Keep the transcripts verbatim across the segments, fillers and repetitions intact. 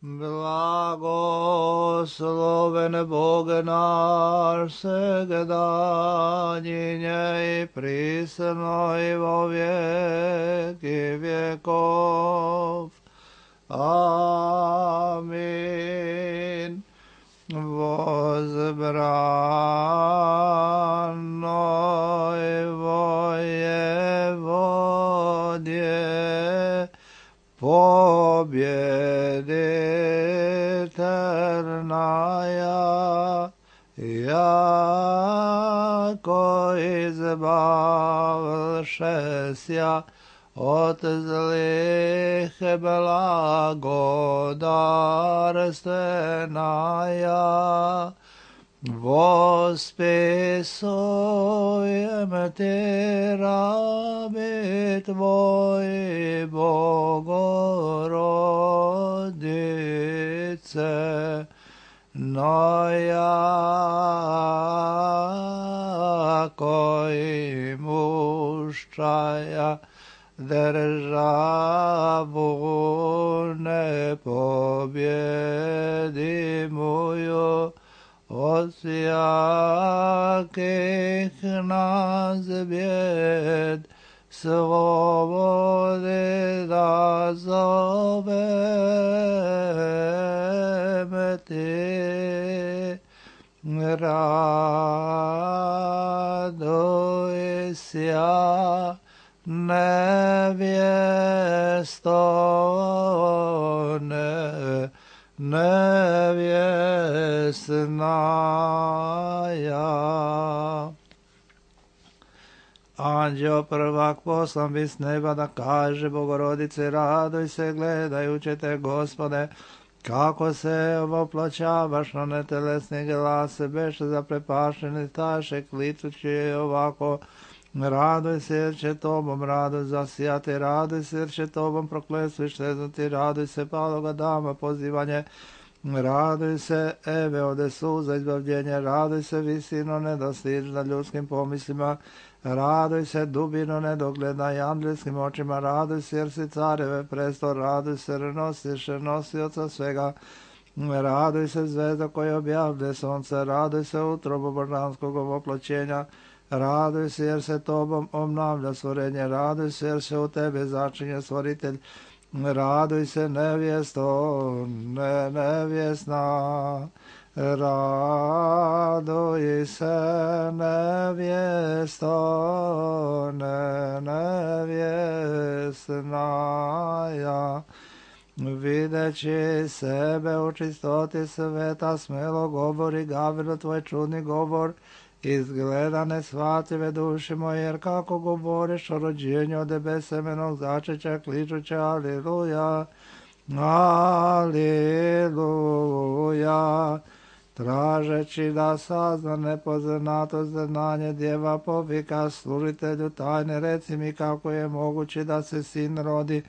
Blagosloven Bog naš svegda, njej prisno i vo vijeki vjekov. Amin. Возбранной воеводе, победительная, яко избавшеся от злых благодарственная, восписуем Ти раби Твои, Богородице, но яко имущая державу непобедимую от всяких нас бед, свободы да зовем Ти. Радуйся, невесто, не, невестная. Anđeo prvak poslan bi s neba da kaže Bogorodice, raduj se gledajući te, Gospode, kako se voplaćavaš na netelesni glas, beše zaprepašteni staše, kličući je ovako: raduj se jer će tobom radost zasijati, raduj se jer će tobom prokletstvo šteznuti, raduj se paloga dama pozivanje, raduj se Eve ode suza izbavljenje, raduj se visino nedostižna ljudskim pomislima, raduj se dubino nedogledna i andljskim očima, raduj se jer si careve presto, raduj se nosiš nosioca svega, raduj se zvezda koja objavlje sonce, raduj se utrobu božanskog oploćenja, raduj se jer se tobom obnavlja stvorenje, raduj se jer se u tebe začinje stvoritelj, raduj se nevjesto, ne nevjesna, raduj se nevjesto, ne nevjesnaja. Videći sebe u čistoti sveta, smelo govori Gavrilo tvoj čudni govor, izgleda nesvatljive duši moje, jer kako govoriš o rođenju od besemenog začeća, kličuće aliluja, aliluja. Tražeći da sazna nepoznato znanje, djeva povika služitelju tajne, reci mi kako je moguće da se sin rodi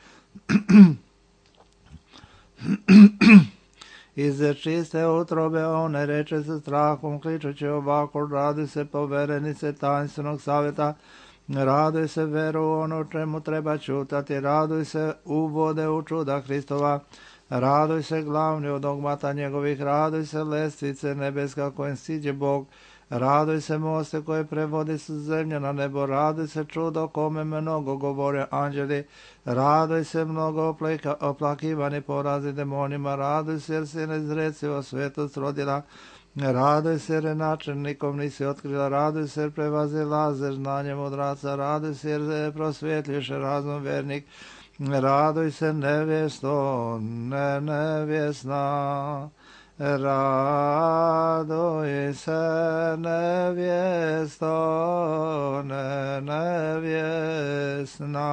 iz čiste utrobe one, reče se strahom, kličući ovako: raduj se poverenice tajnstvenog savjeta, raduj se veru u ono čemu treba čutati, raduj se uvode u čuda Hristova, raduj se glavni od dogmata njegovih, raduj se lestvice nebeska kojim siđe Bog, raduj se moste koje prevodi s zemlje na nebo, raduj se čudo kome mnogo govore anđeli, raduj se mnogo oplaka, oplakivani porazi demonima, raduj se jer si nezrecivo svetost rodila, raduj se jer načelnikom nisi otkrila, raduj se jer prevazilaze znanjem odraca, raduj se jer prosvjetljuše razum vernik, raduj se nevjesto, ne nevjesna, raduj se nevjesto, ne nevjesnaja.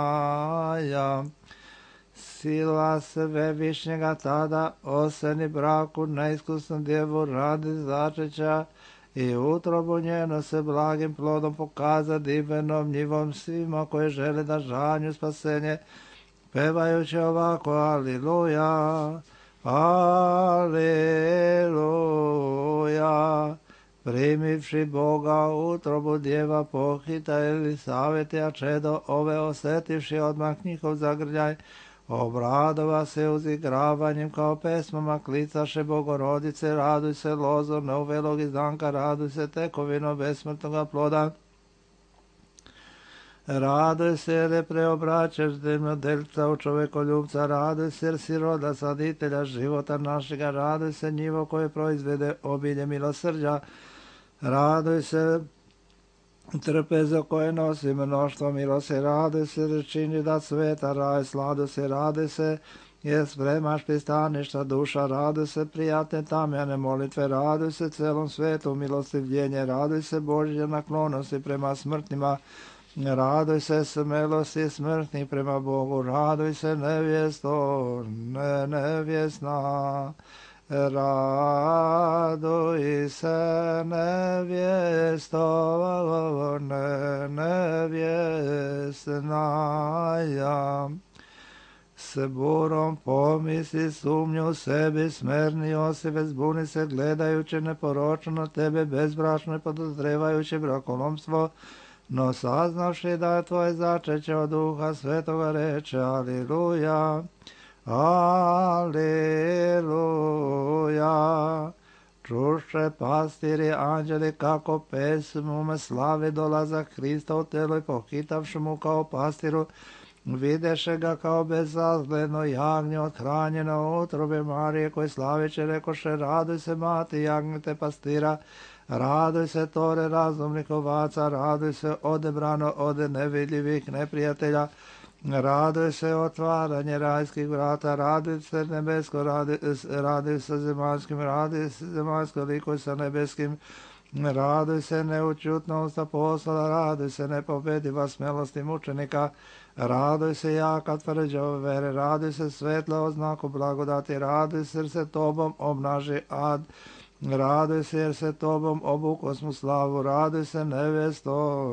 Sila Svevišnjega tada oseni braku neiskusnu djevu radi začeća i utrobu njeno se blagim plodom pokaza divenom njivom svima koje žele da žanju spasenje, pevajući ovako: aliluja, aliluja. Primivši Boga utrobu djeva pohita Elisaveta čedo ove, osetivši odmah njihov zagrljaj, Obradova se uzigravanjem kao pesmama klicaše Bogorodice, raduj se lozo neuvelog izdanka, raduj se tekovino besmrtnoga ploda. Raduj se jer je preobraćaš zemljodelca u čovekoljubca, raduj se jer si roda saditelja života našega, raduj se njivo koje proizvede obilje milosrđa, raduj se trpezo koje nosi mnoštvo milosti, raduj se jer čini da sveta raj, sladu se, raduj se jer spremaš pristaništa duša, raduj se prijatne tamjane molitve, raduj se celom svetu milostivljenje, raduj se Božje naklonosti prema smrtnima, raduj se smelosti smrtnih prema Bogu, raduj se nevjesto, ne nevjesna, raduj se nevjesto, ne nevjesna, ja. S burom pomisli sumnju sebi, smerni Josife, zbuni se gledajući neporočno na tebe, bezbračno i podozrevajući brakolomstvo, no saznavši da je tvoje začeće od Duha Svetoga reče, aliluja, aliluja. Čuše pastiri anđeli kako pesmu me slavi dolazak Hrista u telo i pohitavši mu kao pastiru, videše ga kao bezazgledno jagnje othranjeno utrobe Marije, koji slaviće rekoše, raduj se mati jagnjete pastira, raduj se tore razumnih ovaca, raduj se odebrano od nevidljivih neprijatelja, raduj se otvaranje rajskih vrata, raduj se nebesko, raduj, raduj se zemaljskim, raduj se zemaljsko likuj sa nebeskim, raduj se neučutnost apostola, raduj se nepobediva smelosti mučenika, raduj se jaka tvrđa vere, raduj se svetla oznaku blagodati, raduj se jer se tobom obnaži ad, raduj se jer se tobom obuko smo slavu, raduj se nevjesto,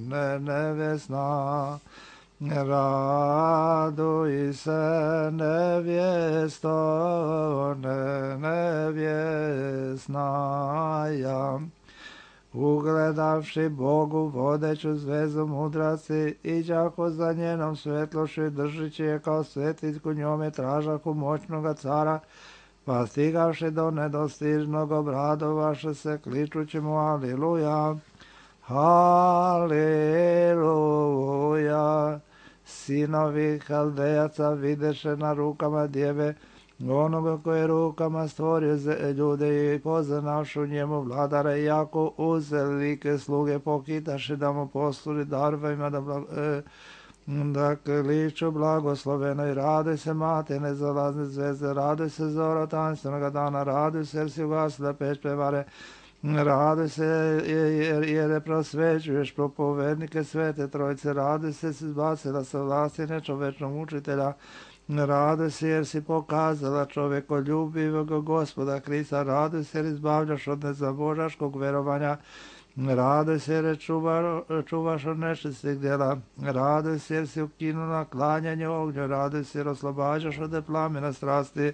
ne nevjesna, raduj se nevjesto, ne nevjesna, ja. Ugledavši Bogu vodeću zvezu mudraci, iđako za njenom svetlošću i držići je kao svetiljku njome tražaku moćnoga cara, pa stigavši do nedostižnog obradovaše se kličući mu aliluja, aliluja. Sinovi Haldejaca videše na rukama djeve onoga koje rukama stvorio ljude i poznavšu njemu vladara, iako uz velike sluge pokitaše da mu posluži darvima da, blag, e, da kliču blagosloveno i raduj se mate nezalazne zvezde, raduj se zora tanstvenoga dana, raduj se jer si ugasila peć prevare, raduj se jer, jer je prosvećuješ propovednike svete trojice, raduj se si zbacila sa vlasti nečovečnog učitelja, raduj se jer si pokazala čovekoljubivog Gospoda Krista, raduj se jer izbavljaš od nezabožaškog verovanja, raduj se jer čuva, čuvaš od nečistih djela, raduj se jer si ukinula klanjanje ognju, raduj se jer oslobađaš od plamena strasti,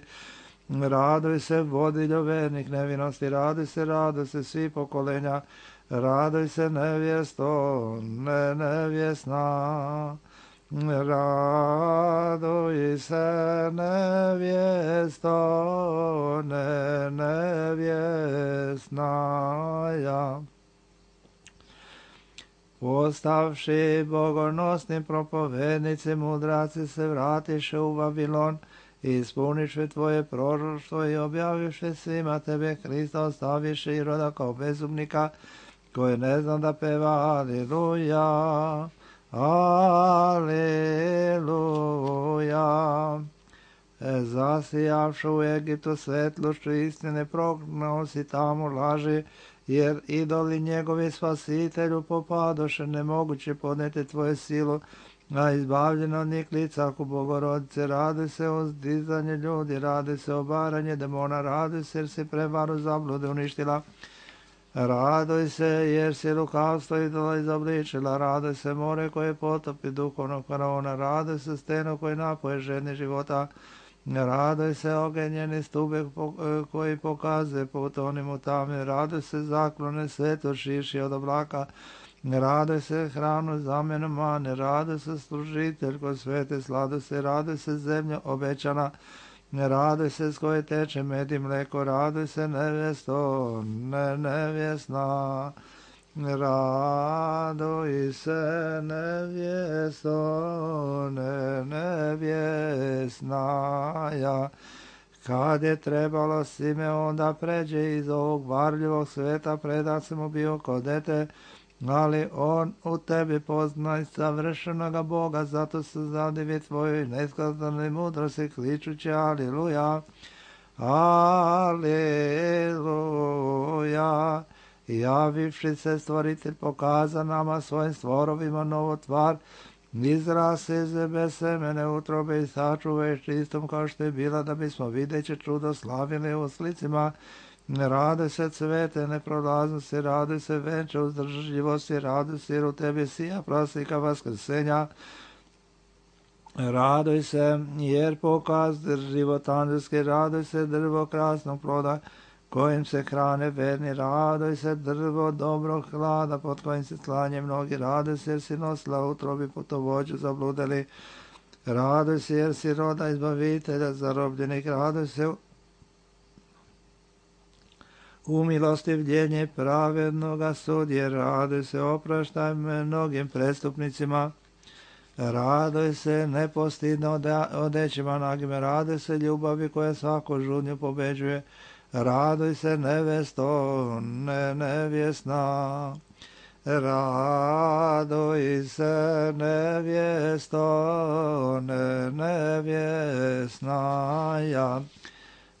raduj se vodiljo vernih nevinosti, raduj se, raduj se svi pokolenja, raduj se nevjesto, ne nevjesna, raduj se nevjesto, ne nevjesna, ja. Postavši bogonosni propovednici, mudraci se vratiše u Vavilon, i ispuniše tvoje proroštvo i objaviše svima tebe Hrista, ostaviše i roda kao bezumnika, koji ne zna da peva aliluja, aliluja. Zasijavšu u Egiptu svetlošću istine, prognao si tamo laži, jer idoli njegovi spasitelju popadoše, nemoguće podneti tvoje silu, a izbavljeno od njih licaku Bogorodice, radi se o zdizanje ljudi, radi se o baranje demona, radi se jer si prevaru zablude uništila, raduj se jer si lukavstvo idola izobličila, raduj se more koje potopi duhovnog faraona, raduj se steno koji napoje žedni života, raduj se ogenjeni stube koji pokazuje put onim u tami, raduj se zaklone sveto šiši od oblaka, Ne radoj se hranu zamjenu mane, radoj se služiteljko svete, slado se, radoj se zemlja obećana, ne radoj se s koje teče med i mleko, radoj se nevjesto, ne nevjesna. Radoj se nevjesto, ne nevjesnaja. Kad je trebalo Simeon da pređe iz ovog varljivog sveta, predat se mu bio kod dete, ali on u tebi poznaj savršenoga Boga, zato se zadivi tvojoj neskazanoj mudrosti, kličući aliluja, aliluja. Javivši se stvoritelj pokaza nama svojim stvorovima novu tvar, izrase iz bez semene utrobe i sačuve čistom kao što je bila, da bismo videći čudo slavili u slicima. Raduj se cvete neprolaznosti, raduj se venče uzdržljivosti, raduj se jer u tebi sija praslika vaskrsenja. Raduj se jer pokaz život anđelski, raduj se drvo krasnog ploda kojim se hrane verni, raduj se drvo dobrog hlada pod kojim se slanje mnogi, raduj se jer si nosila utrobi putovođu zabludeli, raduj se jer si roda izbavitelja zarobljenih, raduj se u milostivljenje pravednoga sudje, raduj se opraštaj mnogim prestupnicima, raduj se nepostidno odećima nagime, raduj se ljubavi koja svaku žudnju pobeđuje, raduj se nevesto, ne nevjesna, raduj se nevjesto, ne nevjesnaja.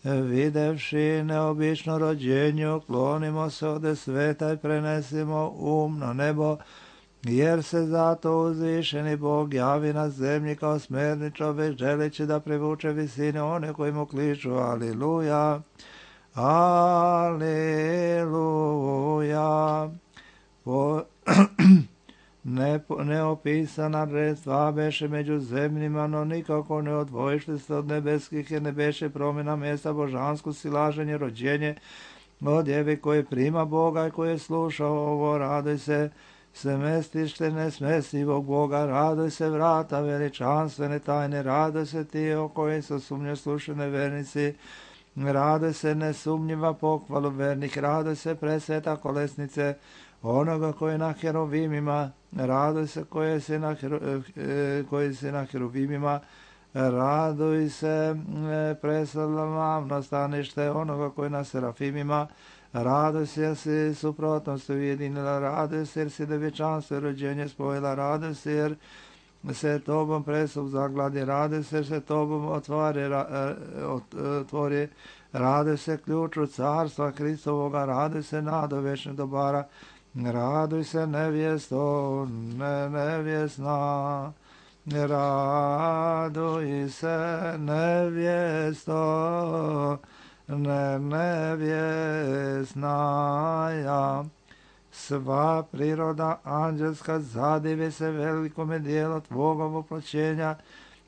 Videvši neobično rođenje, klonimo se ode sveta i prenesimo um na nebo, jer se zato uzvišeni Bog javi na zemlji kao smerni čovjek, želeći da privuče visine one koji mu kliču aliluja, aliluja. Po Ne, neopisana redstva beše među zemljima, no nikako ne odvojište se od nebeskih, jer ne beše promjena mjesta božansko silaženje, rođenje od jevi koje prima Boga i koje sluša ovo, raduj se smestište nesmestivog Boga, raduj se vrata veličanstvene tajne, raduj se ti o kojim su sumnje slušene vernici, raduj se nesumnjiva pohvalu vernih, raduj se presveta kolesnice onoga koji je na herovimima, raduj se koji si na, hero, koji si na herovimima, raduj se preslavno stanište onoga koji je na serafimima, raduj se jer si suprotnost ujedinila, raduj se jer si devječanstvo i rođenje spojila, raduj se jer se tobom presup zagladi, raduj se jer se tobom otvori, otvori, raduj se ključu carstva Hristovoga, raduj se nado večnih dobara, raduj se nevjesto, ne nevjesna, raduj se nevjesto, ne nevjesnaja. Sva priroda anđelska zadivi se velikome dijelu tvoga oploćenja,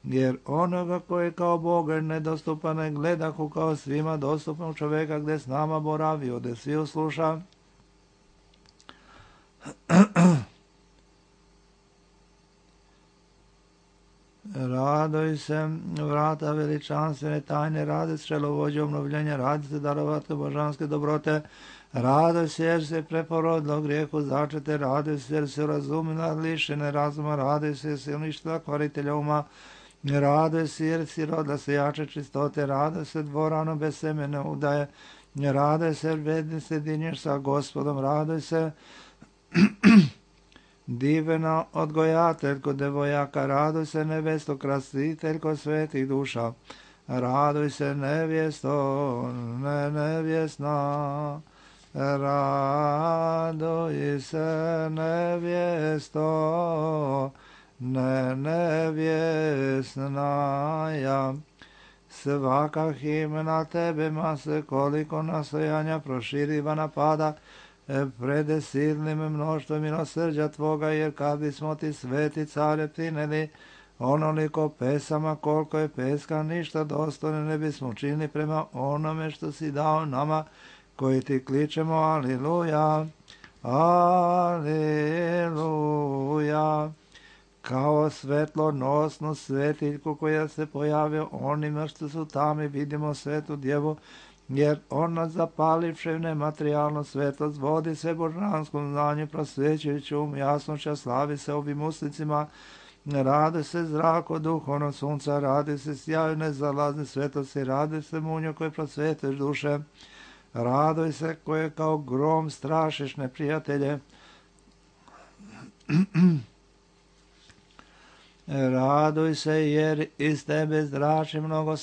jer onoga koji kao Boga nedostupan ne gledahu kao svima dostupnog čovjeka, gdje s nama boravio, gdje svi usluša. Raduj se vrata veličanstvene tajne, radi se čelovođe obnovljenja, radi se darovatke božanske dobrote, raduj se jer se preporodilo grijehu začete, raduj se jer se razumila lišene razuma, raduj se jer se uništila kvaritelja uma, raduj se jer si roda se jače čistote, raduj se dvorano bez semene udaje, raduj se jer bedni sjedinješ sa Gospodom, raduj se divna odgojateljko devojaka, raduj se nevesto krasiteljko svetih duša, raduj se nevjesto, ne nevjesna, raduj se nevjesto, ne nevjesnaja. Svaka himna tebe mase koliko nastojanja proširiva napada, prede silnim mnoštvom milosrđa tvoga, jer kad bismo ti sveti care prineli onoliko pesama koliko je peska, ništa dostojno ne bismo učinili prema onome što si dao nama koji ti kličemo aliluja, Aleluja. Kao svetlonosnu svetiljku koja se pojavio onima što su tamo, vidimo svetu djevu, jer ona zapalivše nematerijalno svetlost vodi se božanskom znanju, prosvećujući um jasnoća, slavi se ovim uslicima, radi se zrako duhovnog sunca, radi se sjaju nezalazne svetlosti, radi se munjo koje prosveteš duše, raduj se koje kao grom strašiš neprijatelje, raduj se jer iz tebe zrači mnogo,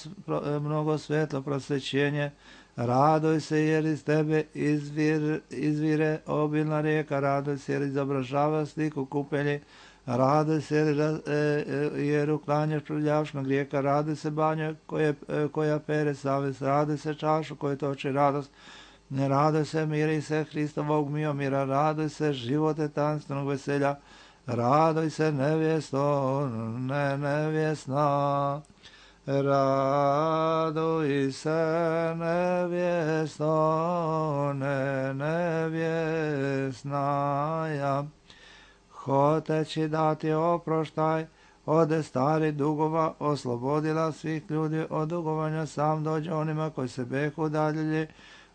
mnogo svetlo prosvećenje, raduj se jer iz tebe izvir, izvire obilna rijeka, raduj se jer izobražava sliku kupelji, raduj se jer, jer uklanjaš prljavšnog rijeka, raduj se banja koje, koja pere savest, raduj se čašu koja toči radost, raduj se miri se Hristovog miomira, raduj se živote tanstvenog veselja, raduj se nevjesto, ne nevjesna, raduj se nevjesto, ne nevjesnaja. Hoteći dati oproštaj ode stari dugova, oslobodila svih ljudi od dugovanja, sam dođe onima koji se behu udaljili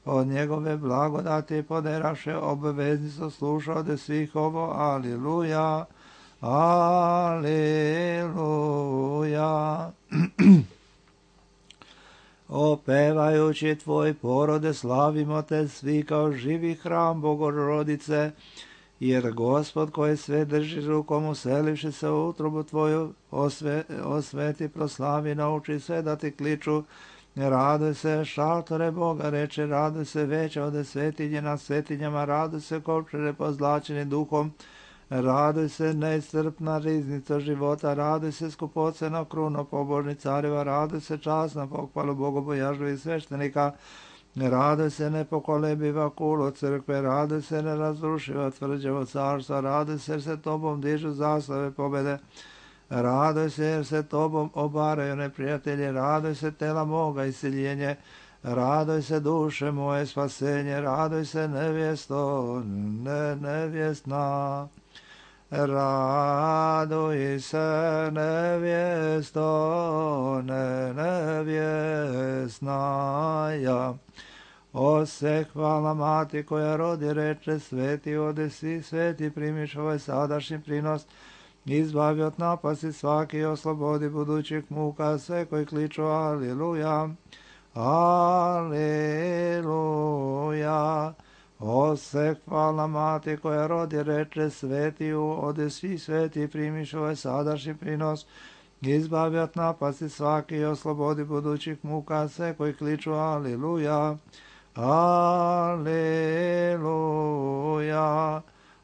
od njegove blagodati, poderaše obveznicu, sluša od svih ovo, aliluja, aliluja. Opevajući tvoj porode, slavimo te svi kao živi hram Bogorodice, jer Gospod koji sve drži rukom, uselivši se u utrobu tvoju, osve, osveti, proslavi, nauči sve da ti kliču, raduj se šaltore Boga, reče, raduj se veća ode svetinje na svetinjama, raduj se kovčere pozlačeni duhom, raduj se neiscrpna riznica života, raduj se skupocena kruno pobožni careva, raduj se časna pohvalu bogobojažljivih sveštenika, raduj se nepokolebiva kulo crkve, raduj se nerazrušiva tvrđevo carstva, raduj se jer se tobom dižu zastave pobede, raduj se jer se tobom obaraju neprijatelji, raduj se tela moga isiljenje, raduj se duše moje spasenje, raduj se nevjesto, ne nevjesna, raduj se nevjesto, ne nevjesnaja. Ose hvala mati koja rodi, reče, sveti ode svi, sveti primiš ovaj sadašnji prinos, izbavi od napasti svaki, oslobodi budućih muka sve koji kliču aliluja, aliluja. Ose hvala mati koja rodi, reče, sveti ode svi, sveti primiš ovaj sadašnji prinos, izbavi od napasti svaki, oslobodi budućih muka sve koji kliču aliluja, aliluja.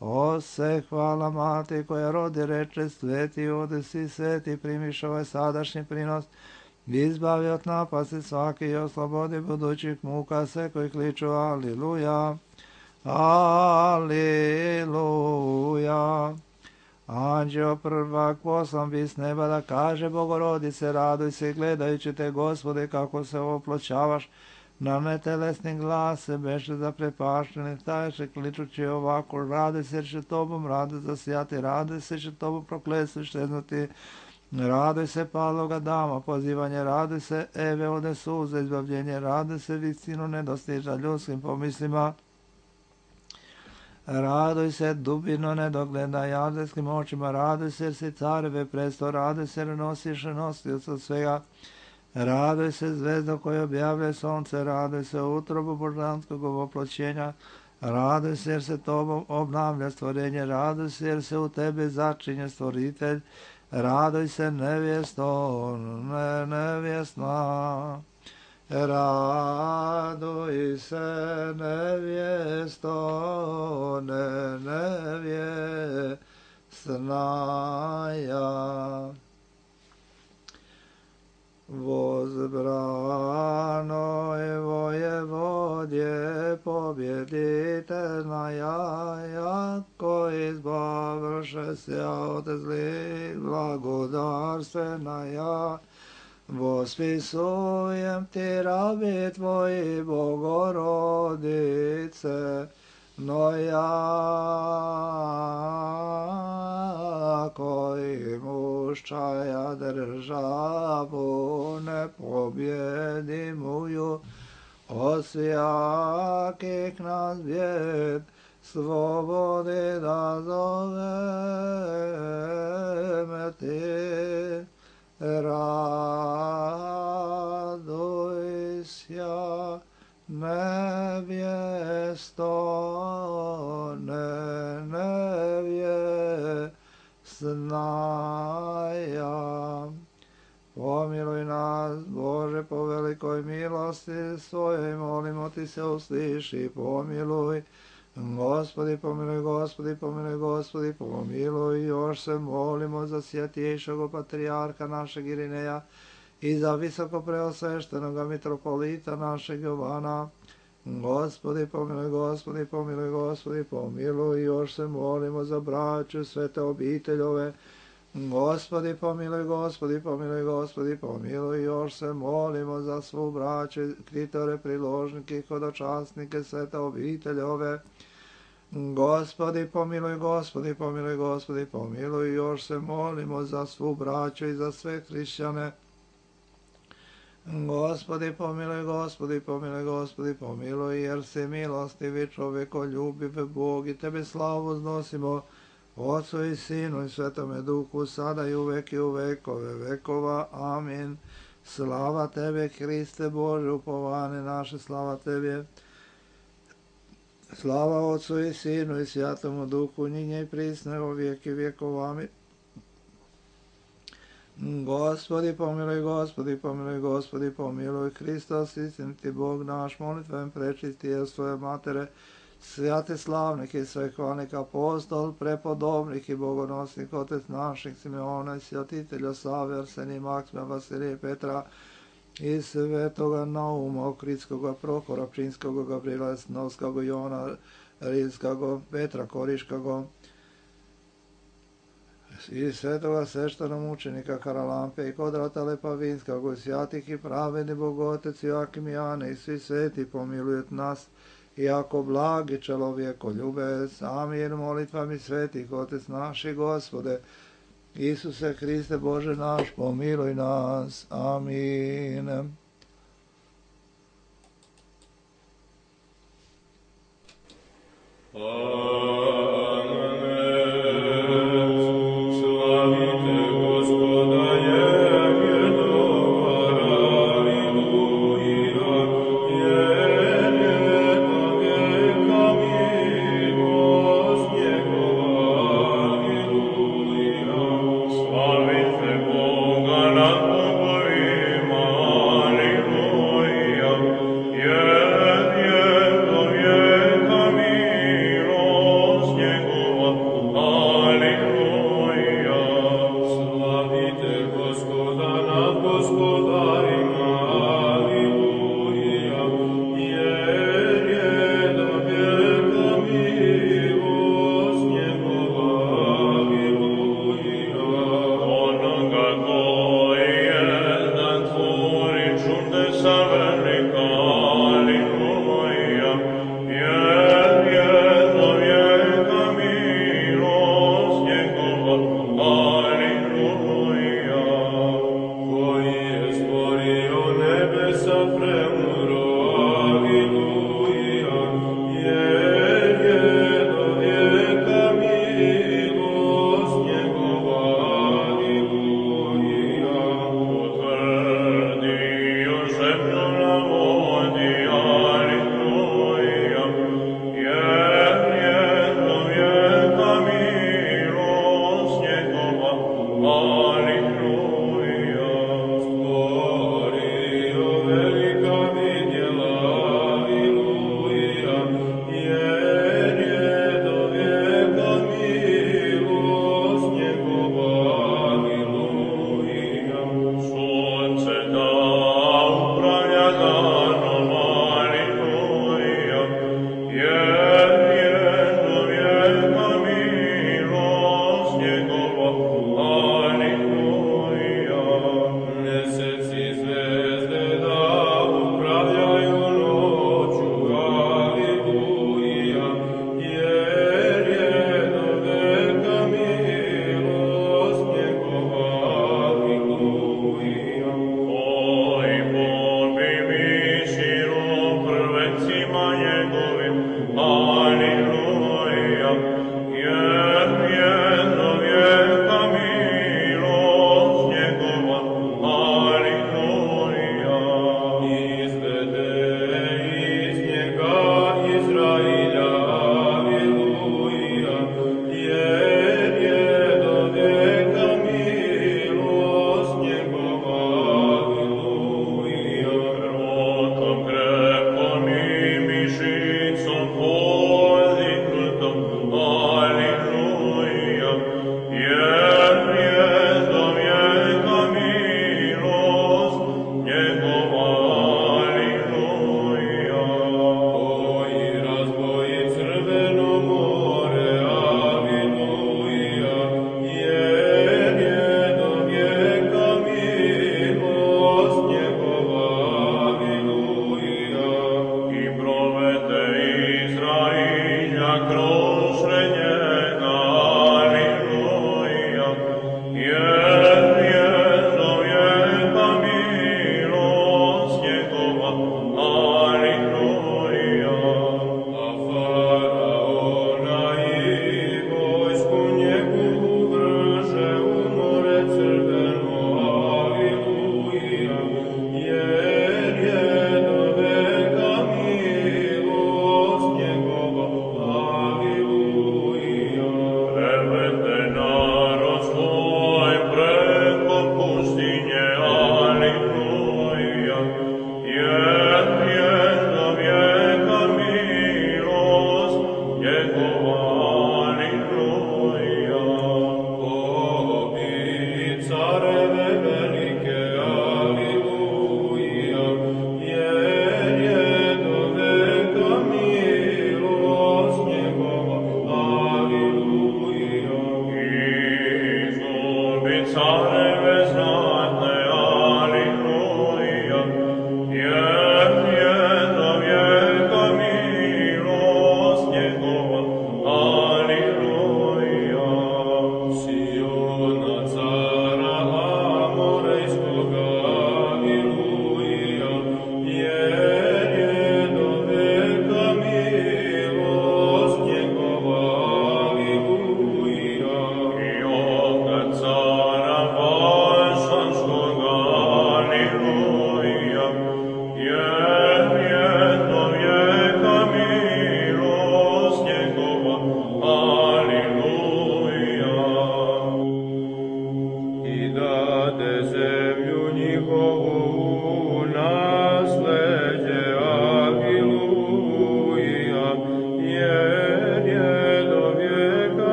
Ose hvala mati koja rodi, reče, sveti ode svi, sveti primiš ovaj sadašnji prinos, izbavi od napasti svaki i oslobodi budućih muka sve koji kliču aliluja, aliluja. Anđeo prvak poslan bi s neba da kaže Bogorodice, raduj se gledajući te, Gospode, kako se oploćavaš, na netelesni glas se beše zaprepašteni, staješe kličući ovako, raduj se jer će tobom raduj zasijati, raduj se će tobom prokletstvo štednuti, raduj se paloga dama pozivanje, raduj se Eve ode suze izbavljenje, raduj se visinu nedostiža ljudskim pomislima, raduj se dubino nedogleda jadelskim očima, raduj se jer si careve presto, raduj se jer nosiš nosioca svega, raduj se zvezdo koje objavlja sonce, raduj se utrobu božanskog oploćenja, raduj se jer se tobom obnavlja stvorenje, raduj se jer se u tebi začinje stvoritelj, raduj se nevjesto, ne nevjesna, raduj se nevjesto, ne nevjesnaja. Возбранoj vojevodje pobjeditelnaja, jako izbavše se od zlih blagodarstvenaja, vospisujem ti rabi tvoji Bogorodice, no jako imuščaja državu ne pobjedimuju, osjakih nas bjed slobodi da zoveme ti. Raduj sja nevjesto, ne nevjesnaja. Pomiluj nas, Bože, po velikoj milosti svojoj, molimo ti se usliši, pomiluj. Gospodi, pomiluj, Gospodi, pomiluj, Gospodi, pomiluj. Još se molimo za svjetiješog patrijarha našeg Irineja i za visoko preosveštenoga mitropolita našeg Jovana. Gospodi, pomiluj, Gospodi, pomiluj, Gospodi, pomiluj. Još se molimo za braću svete obiteljove. Gospodi, pomiluj, Gospodi, pomiluj, Gospodi, pomiluj. Još se molimo za svu braću, kritore, priložnike i hodočasnike svete obiteljove. Gospodi, pomiluj, Gospodi, pomiluj, Gospodi, pomiluj. Još se molimo za svu braću i za sve hrišćane. Gospodi, pomiluj, Gospodi, pomiluj, Gospodi, pomiluj, jer si milostivi, čovjekoljubiv Bog, i tebe slavu uznosimo, Otcu i Sinu i Svetome Duhu, sada i uvek i u vekove vekova. Amin. Slava tebe, Hriste Bože, upovane naše, slava tebe. Slava Otcu i Sinu i Svjatomu Duhu, njinje i prisne o vijek i vjekov. Amin. Gospodi, pomiluj, Gospodi, pomiluj, Gospodi, pomiluj. Hristos, istiniti Bog naš, molitvem prečisti je svoje matere, svjate slavnih i svehvalnih apostol, prepodobnih i bogonosnih, otec naših Simeona i svjatitelja Save, Arsenija, Maksima, Vasilije, Petra i svetoga Nauma, Okritskoga, Prohora, Pčinskoga, Gabriela, Snovskoga, Jona, Rilskoga, Petra Koriškoga i svetoga sveštenog mučenika Karalampe i Kodrata Lepavinskog, i svjatih i pravedni Bogotec Joakim i Jane i svi sveti pomilujet nas, iako blagi čelovjeko ljube, amin. Molitvami svetih, Otec naši, Gospode, Isuse Hriste Bože naš, pomiluj nas, amin. Alleluia.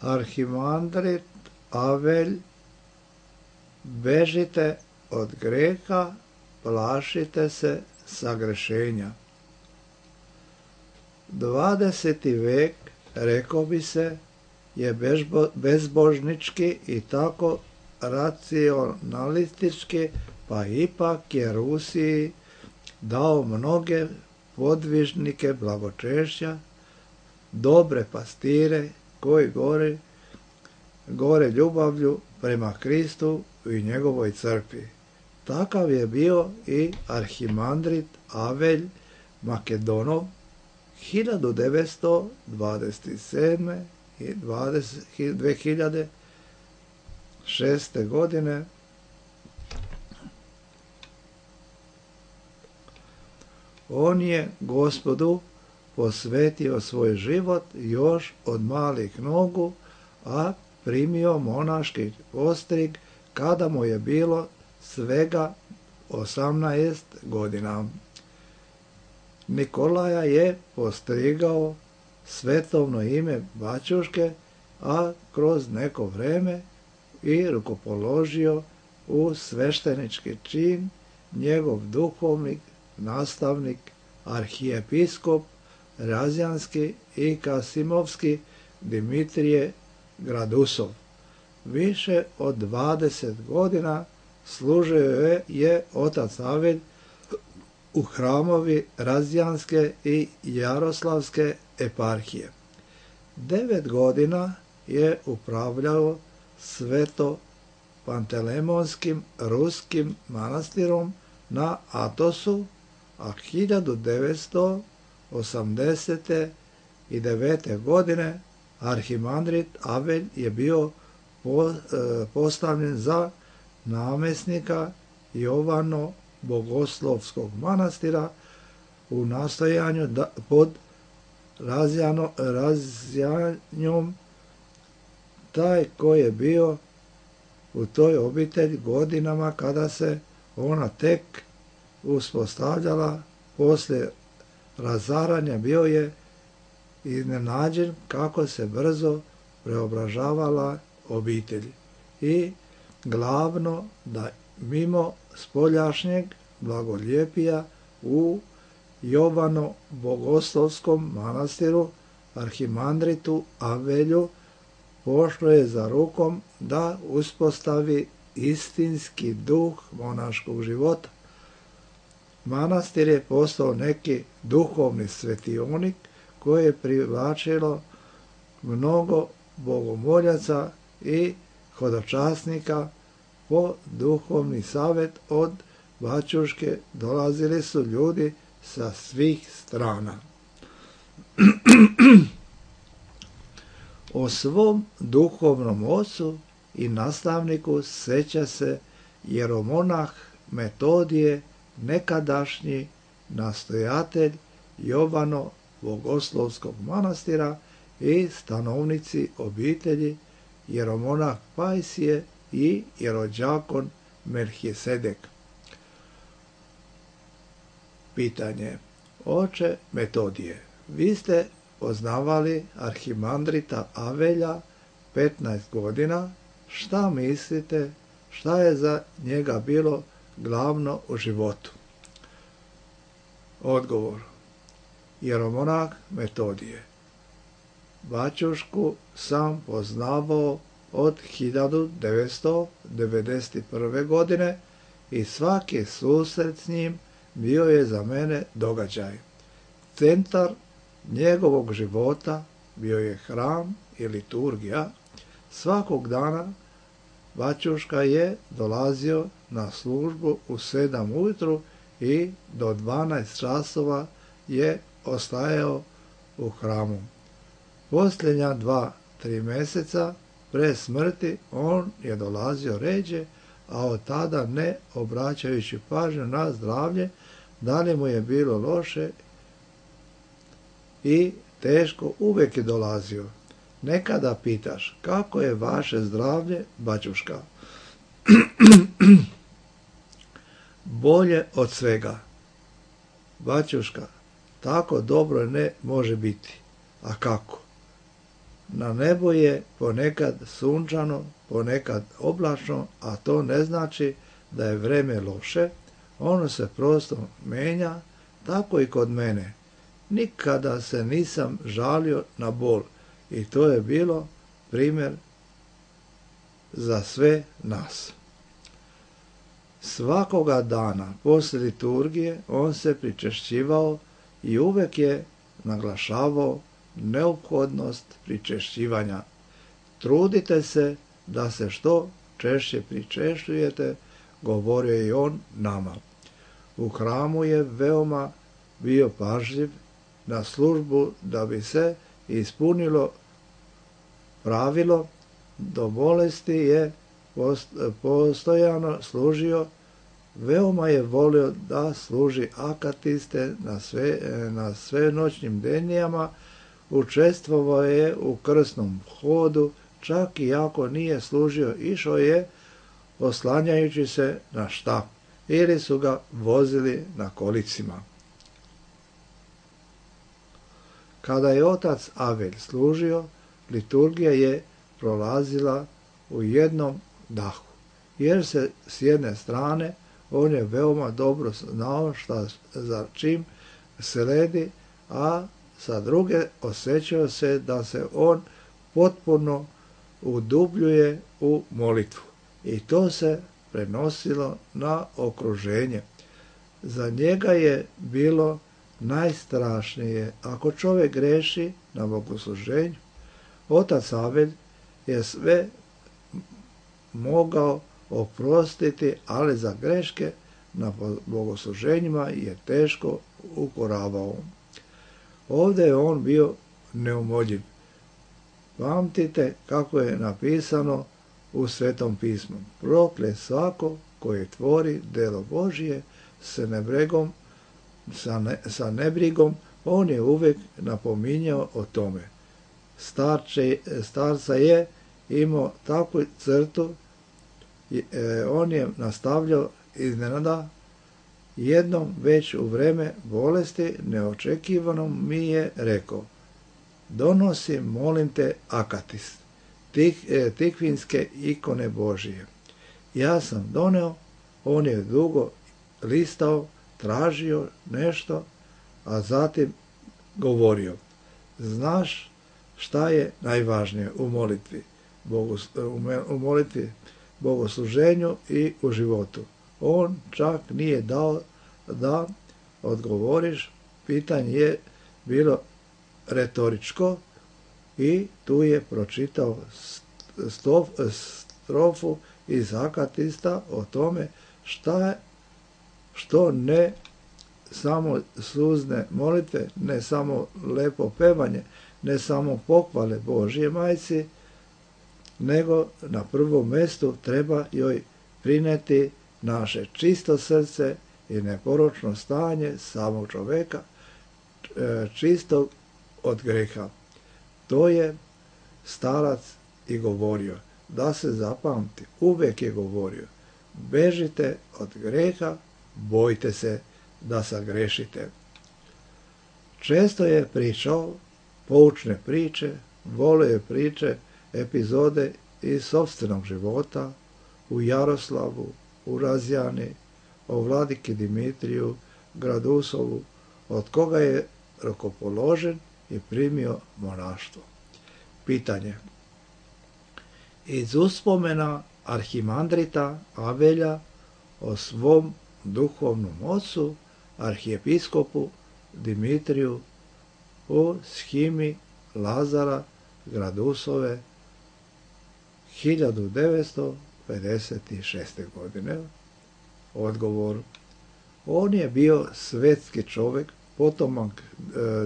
Arhimandrit Avelj, bežite od greha, plašite se sagrešenja. dvadeseti vek, rekao bi se, je bezbožnički i tako racionalistički, pa ipak je Rusiji dao mnoge podvižnike blagočešća, dobre pastire koji gore, gore ljubavlju prema Kristu i njegovoj crkvi. Takav je bio i arhimandrit Avelj Makedonov hiljadu devetsto dvadeset sedme i dve hiljade šeste godine. On je Gospodu posvetio svoj život još od malih nogu, a primio monaški postrig kada mu je bilo svega osamnaest godina. Nikolaja je postrigao svetovno ime bačuške, a kroz neko vreme i rukopoložio u sveštenički čin njegov duhovnik, nastavnik, arhijepiskop Razjanski i Kasimovski Dimitrije Gradusov. Više od dvadeset godina služio je otac Avelj u hramovi Razjanske i Jaroslavske eparhije. Devet godina je upravljao sveto Pantelemonskim ruskim manastirom na Atosu, a hiljadu devetsto osamdeset devete. godine arhimandrit Avelj je bio postavljen za namjesnika Jovano Bogoslovskog manastira u nastojanju da, pod razjano, razjanjom taj koji je bio u toj obitelji godinama kada se ona tek uspostavljala poslije razaranja, bio je iznenađen kako se brzo preobražavala obitelj. I glavno da mimo spoljašnjeg blagoljepija u Jovano Bogoslovskom manastiru arhimandritu Avelju pošlo je za rukom da uspostavi istinski duh monaškog života. Manastir je postao neki duhovni svetionik koje je privlačilo mnogo bogomoljaca i hodočasnika. Po duhovni savjet od bačuške dolazili su ljudi sa svih strana. O svom duhovnom ocu i nastavniku seća se jeromonah Metodije, nekadašnji nastojatelj Jovano Bogoslovskog manastira i stanovnici obitelji jeromonah Pajsije i jerođakon Melhisedek. Pitanje. Oče Metodije, vi ste poznavali arhimandrita Avelja petnaest godina. Šta mislite, šta je za njega bilo glavno u životu? Odgovor. Jeromonah Metodije. Bačušku sam poznavao od hiljadu devetsto devedeset prve. godine i svaki susret s njim bio je za mene događaj. Centar njegovog života bio je hram i liturgija. Svakog dana bačuška je dolazio na službu u sedam ujutru i do dvanaest časova je ostajao u hramu. Posljednja dva, tri mjeseca pre smrti on je dolazio ređe, a od tada ne obraćajući pažnju na zdravlje, da li mu je bilo loše i teško, uvijek je dolazio. Nekada pitaš, kako je vaše zdravlje, bačuška? Bolje od svega. Bačuška, tako dobro ne može biti. A kako? Na nebu je ponekad sunčano, ponekad oblačno, a to ne znači da je vreme loše. Ono se prosto menja, tako i kod mene. Nikada se nisam žalio na bol i to je bilo primjer za sve nas. Svakoga dana poslije liturgije on se pričešćivao i uvijek je naglašavao neophodnost pričešćivanja. Trudite se da se što češće pričešćujete, govorio je i on nama. U hramu je veoma bio pažljiv na službu da bi se ispunilo pravilo. Do bolesti je postojano služio, veoma je volio da služi akatiste na, sve, na svenoćnim denijama, učestvovao je u krsnom hodu, čak i ako nije služio, išao je oslanjajući se na štap ili su ga vozili na kolicima. Kada je otac Avelj služio, liturgija je prolazila u jednom dahu, jer se s jedne strane on je veoma dobro znao šta za čim sledi, a sa druge osjećao se da se on potpuno udubljuje u molitvu i to se prenosilo na okruženje. Za njega je bilo najstrašnije ako čovjek greši na bogosluženju. Otac Avelj je sve mogao oprostiti, ali za greške na bogosluženjima je teško ukoravao. Ovdje je on bio neumoljiv. Pamtite kako je napisano u Svetom pismu. Proklet svako koji tvori delo Božije s nebregom, sa, ne, sa nebrigom, on je uvijek napominjao o tome. Starče, starca je imao takvu crtu, e, on je nastavljao iznenada, jednom već u vreme bolesti neočekivanom mi je rekao: donosi, molim te, akatis, tih, e, tikvinske ikone Božije. Ja sam doneo, on je dugo listao, tražio nešto, a zatim govorio: znaš šta je najvažnije u molitvi, Bogu, u molitvi, bogosluženju i u životu? On čak nije dao da odgovoriš, pitanje je bilo retoričko i tu je pročitao stof, strofu iz Akatista o tome šta je, što ne samo suzne molitve, ne samo lepo pevanje, ne samo pohvale Božje majci, nego na prvom mjestu treba joj prineti naše čisto srce i neporočno stanje samog čovjeka, čistog od greha. To je starac i govorio, da se zapamti, uvijek je govorio: bežite od greha, bojte se da sagrešite. Često je pričao poučne priče, volio je priče, epizode iz sopstvenog života u Jaroslavu, u Razjani, o vladiki Dimitriju Gradusovu, od koga je rukopoložen i primio monaštvo. Pitanje. Iz uspomena arhimandrita Avelja o svom duhovnom ocu, arhijepiskopu Dimitriju u shimi Lazara Gradusove hiljadu devetsto pedeset šeste. godine. Odgovor. On je bio svetski čovjek, potomak e,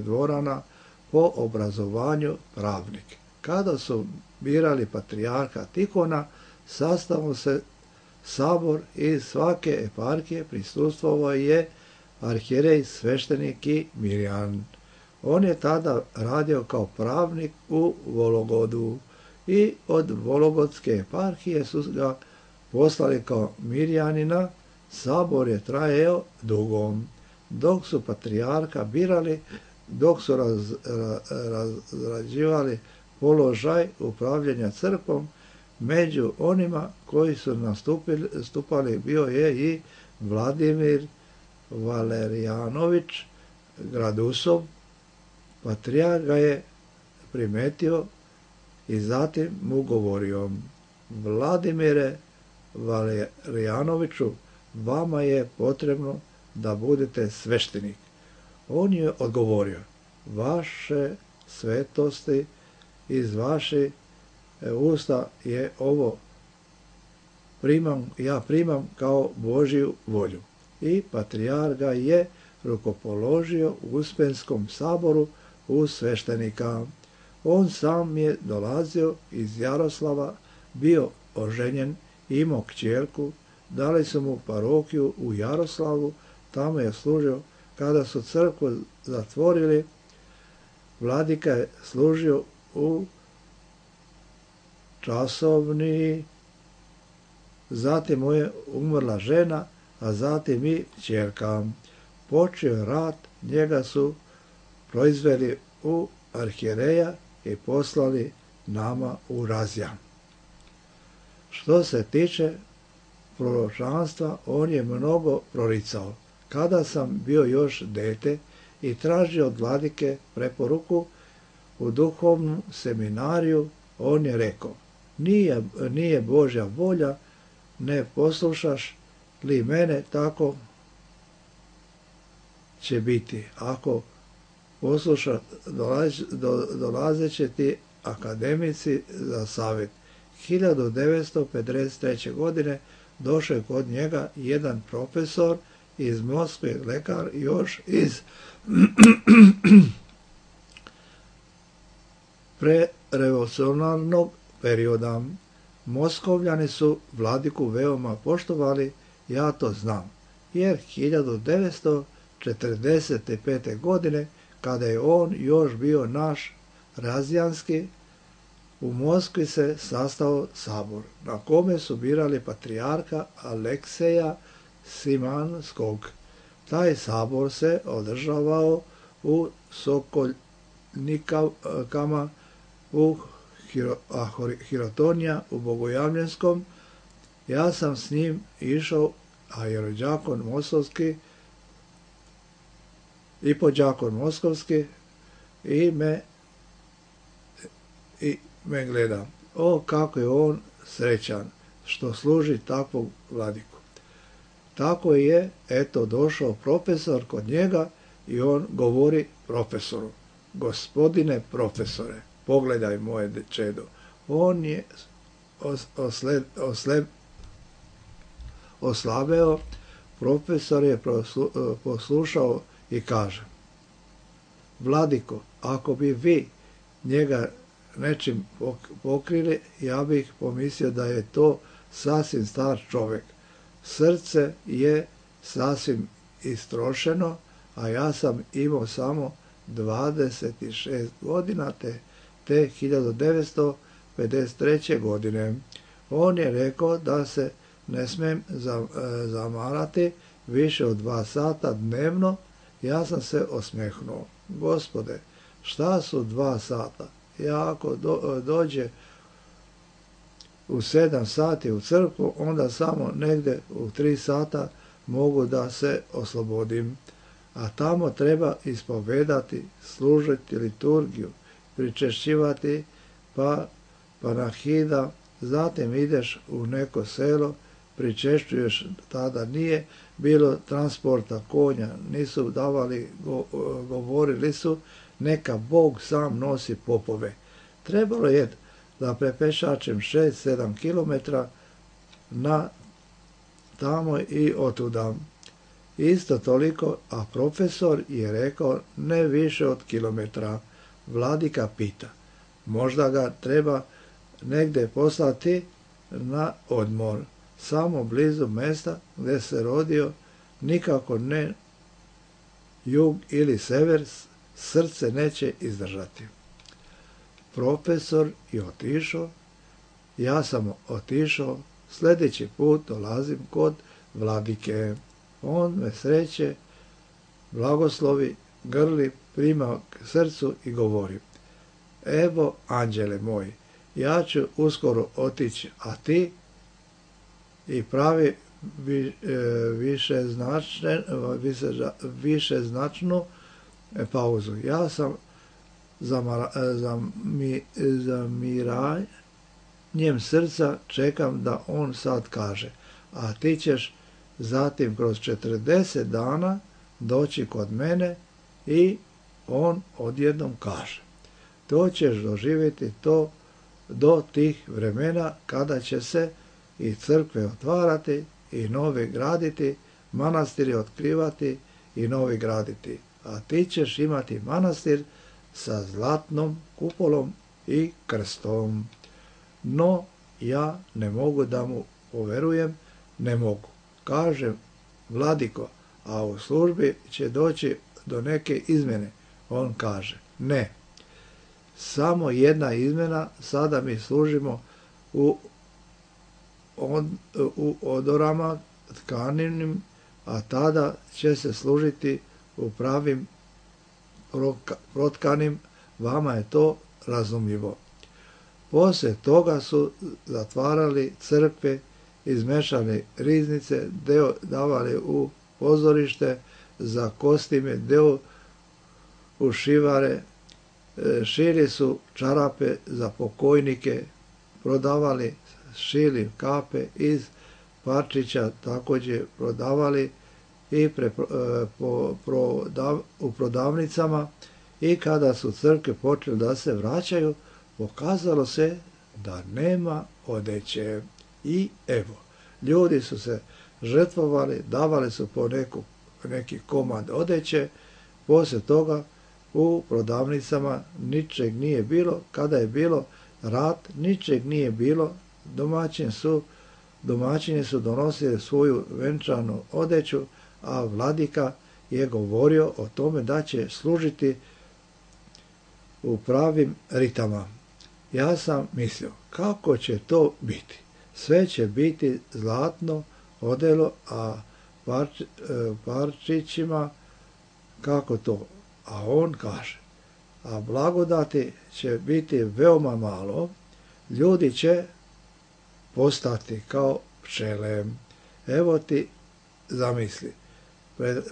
dvorana, po obrazovanju pravnik. Kada su birali patrijarha Tihona, sastavio se sabor i svake eparhije prisustvovao je arhijerej, sveštenik i mirjan. On je tada radio kao pravnik u Vologodu i od Vologodske eparhije su ga poslali kao mirjanina. Sabor je trajao dugo. Dok su patrijarha birali, dok su raz, raz, razrađivali položaj upravljanja crkvom, među onima koji su nastupili, stupali bio je i Vladimir Valerijanović Gradusov. Patrijarh ga je primetio i zatim mu govorio: Vladimire Valerijanoviću, vama je potrebno da budete sveštenik. On je odgovorio: vaše svetosti, iz vaše usta je ovo primam, ja primam kao Božju volju. I patrijarh ga je rukopoložio u Uspenskom saboru u sveštenika. On sam je dolazio iz Jaroslava, bio oženjen, imao kćerku, dali su mu parohiju u Jaroslavu, tamo je služio. Kada su crkvu zatvorili, vladika je služio u časovni, zatim mu je umrla žena, a zatim i kćerka. Počeo je rat, njega su proizveli u arhijereja i poslali nama u Razjan. Što se tiče proročanstva, on je mnogo proricao. Kada sam bio još dete i tražio od vladike preporuku u duhovnom seminariju, on je rekao: nije, nije Božja volja, ne poslušaš li mene, tako će biti. Ako posluša, dolazit će ti akademici za savjet. hiljadu devetsto pedeset treće. godine došao je kod njega jedan profesor iz Moskve, lekar još iz prerevolucionarnog perioda. Moskovljani su vladiku veoma poštovali, ja to znam. jer hiljadu devetsto četrdeset pete. godine, kada je on još bio naš razjanski, u Moskvi se sastao sabor, na kome su birali patrijarha Alekseja Simanskog. Taj sabor se održavao u Sokoljnikama, u Hirotonija, u Bogojavljenskom. Ja sam s njim išao, a jerođakon Moskovski i podđakon Moskovski i me, i me gleda. O, kako je on srećan što služi takvog vladiku. Tako je, eto, došao profesor kod njega i on govori profesoru: gospodine profesore, pogledaj moje čedo. On je osled, osled, oslabeo, profesor je poslušao i kaže: vladiko, ako bi vi njega nečim pokrili, ja bih pomislio da je to sasvim star čovjek. Srce je sasvim istrošeno, a ja sam imao samo dvadeset šest godina te, te hiljadu devetsto pedeset treće. godine. On je rekao da se ne smijem zamarati više od dva sata dnevno. Ja sam se osmehnuo. Gospode, šta su dva sata? Ja ako do, dođe u sedam sati u crkvu, onda samo negdje u tri sata mogu da se oslobodim. A tamo treba ispovedati, služiti liturgiju, pričešćivati pa panahida, zatim ideš u neko selo, pričešćuješ. Tada nije bilo transporta konja, nisu davali, go, govorili su neka Bog sam nosi popove. Trebalo je da prepešačem šest sedam kilometra na tamo i otuda. Isto toliko, a profesor je rekao ne više od kilometra. Vladika pita: možda ga treba negdje poslati na odmor, samo blizu mjesta gdje se rodio, nikako ne jug ili sever, srce neće izdržati. Profesor je otišao, ja sam otišao, sljedeći put dolazim kod vladike. On me sreće, blagoslovi, grli, prima k srcu i govori: evo, anđele moji, ja ću uskoro otići, a ti? I pravi vi, e, više, značne, više, više značnu pauzu. Ja sam zamara, zami, zamiranjem srca čekam da on sad kaže, a ti ćeš zatim kroz četrdeset dana doći kod mene i on odjednom kaže. To ćeš doživjeti to do tih vremena kada će se i crkve otvarati i novi graditi, manastiri otkrivati i novi graditi. A ti ćeš imati manastir sa zlatnom kupolom i krstom. No, ja ne mogu da mu poverujem, ne mogu. Kažem: vladiko, a u službi će doći do neke izmjene. On kaže: ne, samo jedna izmjena, sada mi služimo u, on, u odorama tkaninim, a tada će se služiti u pravim protkanim, vama je to razumljivo. Poslije toga su zatvarali crkve, izmešali riznice, deo davali u pozorište za kostime, deo u šivare, šili su čarape za pokojnike, prodavali, šili kape iz parčića, također prodavali i pre, po, prodav, u prodavnicama. I kada su crkve počeli da se vraćaju, pokazalo se da nema odeće. I evo, ljudi su se žrtvovali, davali su po neku, neki komad odeće. Poslije toga u prodavnicama ničeg nije bilo. Kada je bilo rat, ničeg nije bilo. Domaćin su, domaćini su donosili svoju venčanu odeću, a vladika je govorio o tome da će služiti u pravim ritama. Ja sam mislio, kako će to biti? Sve će biti zlatno odelo, a parč, parčićima kako to? A on kaže, a blagodati će biti veoma malo, ljudi će postati kao pčele. Evo ti zamisli,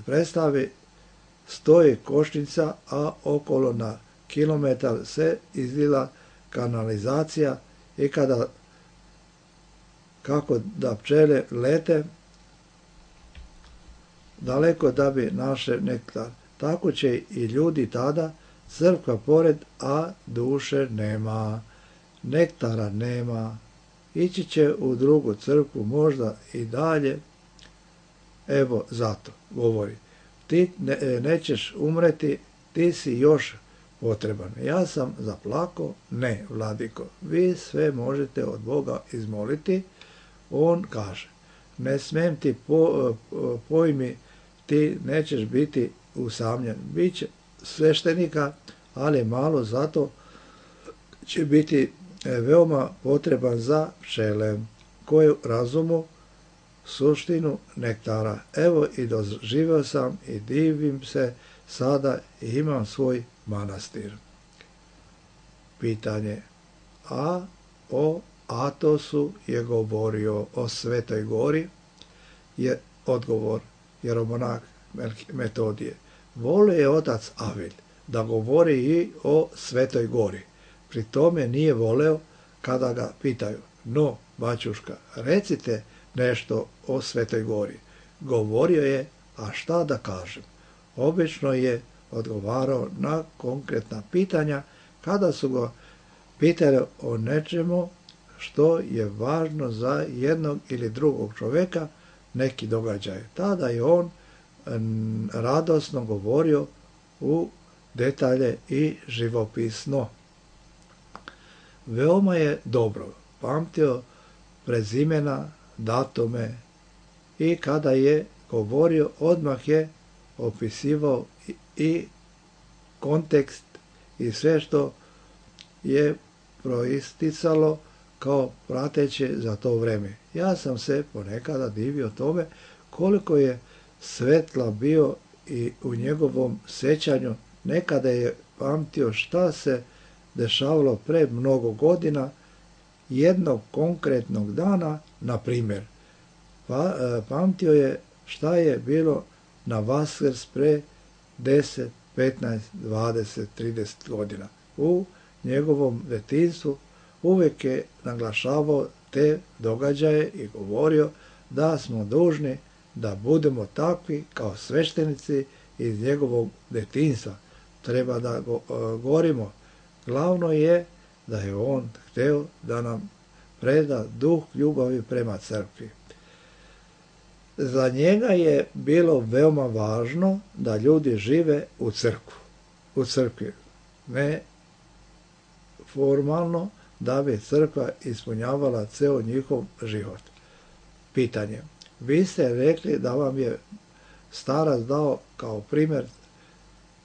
predstavi stoji košnica, a okolo na kilometar se izlila kanalizacija i kada kako da pčele lete daleko da bi naše nektar. Tako će i ljudi tada, crkva pored, a duše nema, nektara nema. Ići će u drugu crkvu, možda i dalje. Evo zato, govori, ti ne, nećeš umreti, ti si još potreban. Ja sam zaplakao, ne, vladiko, vi sve možete od Boga izmoliti. On kaže, ne smem ti po, pojmi, ti nećeš biti usamljen. Biće sveštenika, ali malo, zato će biti veoma potreban za pčele koje razumu suštinu nektara. Evo i doživio sam i divim se sada i imam svoj manastir. Pitanje. A o Atosu je govorio o Svetoj gori, je odgovor jeromonah Metodije. Volio je otac Avilj da govori i o Svetoj gori. Pri tome nije voleo kada ga pitaju, no, bačuška, recite nešto o Svetoj gori. Govorio je, a šta da kažem? Obično je odgovarao na konkretna pitanja kada su ga pitali o nečemu što je važno za jednog ili drugog čovjeka, neki događaj. Tada je on radosno govorio u detalje i živopisno. Veoma je dobro pamtio prezimena, datume i kada je govorio, odmah je opisivao i kontekst i sve što je proisticalo kao prateće za to vreme. Ja sam se ponekada divio tome koliko je svetla bio i u njegovom sećanju. Nekada je pamtio šta se dešavalo pre mnogo godina, jednog konkretnog dana, na primjer. Pa, pamtio je šta je bilo na Vaskrs pre deset, petnaest, dvadeset, trideset godina. U njegovom detinjstvu uvijek je naglašavao te događaje i govorio da smo dužni da budemo takvi kao sveštenici iz njegovog detinjstva. Treba da go, govorimo. Glavno je da je on hteo da nam preda duh ljubavi prema crkvi. Za njega je bilo veoma važno da ljudi žive u crkvu, u crkvi, ne formalno, da bi crkva ispunjavala ceo njihov život. Pitanje. Vi ste rekli da vam je starac dao kao primjer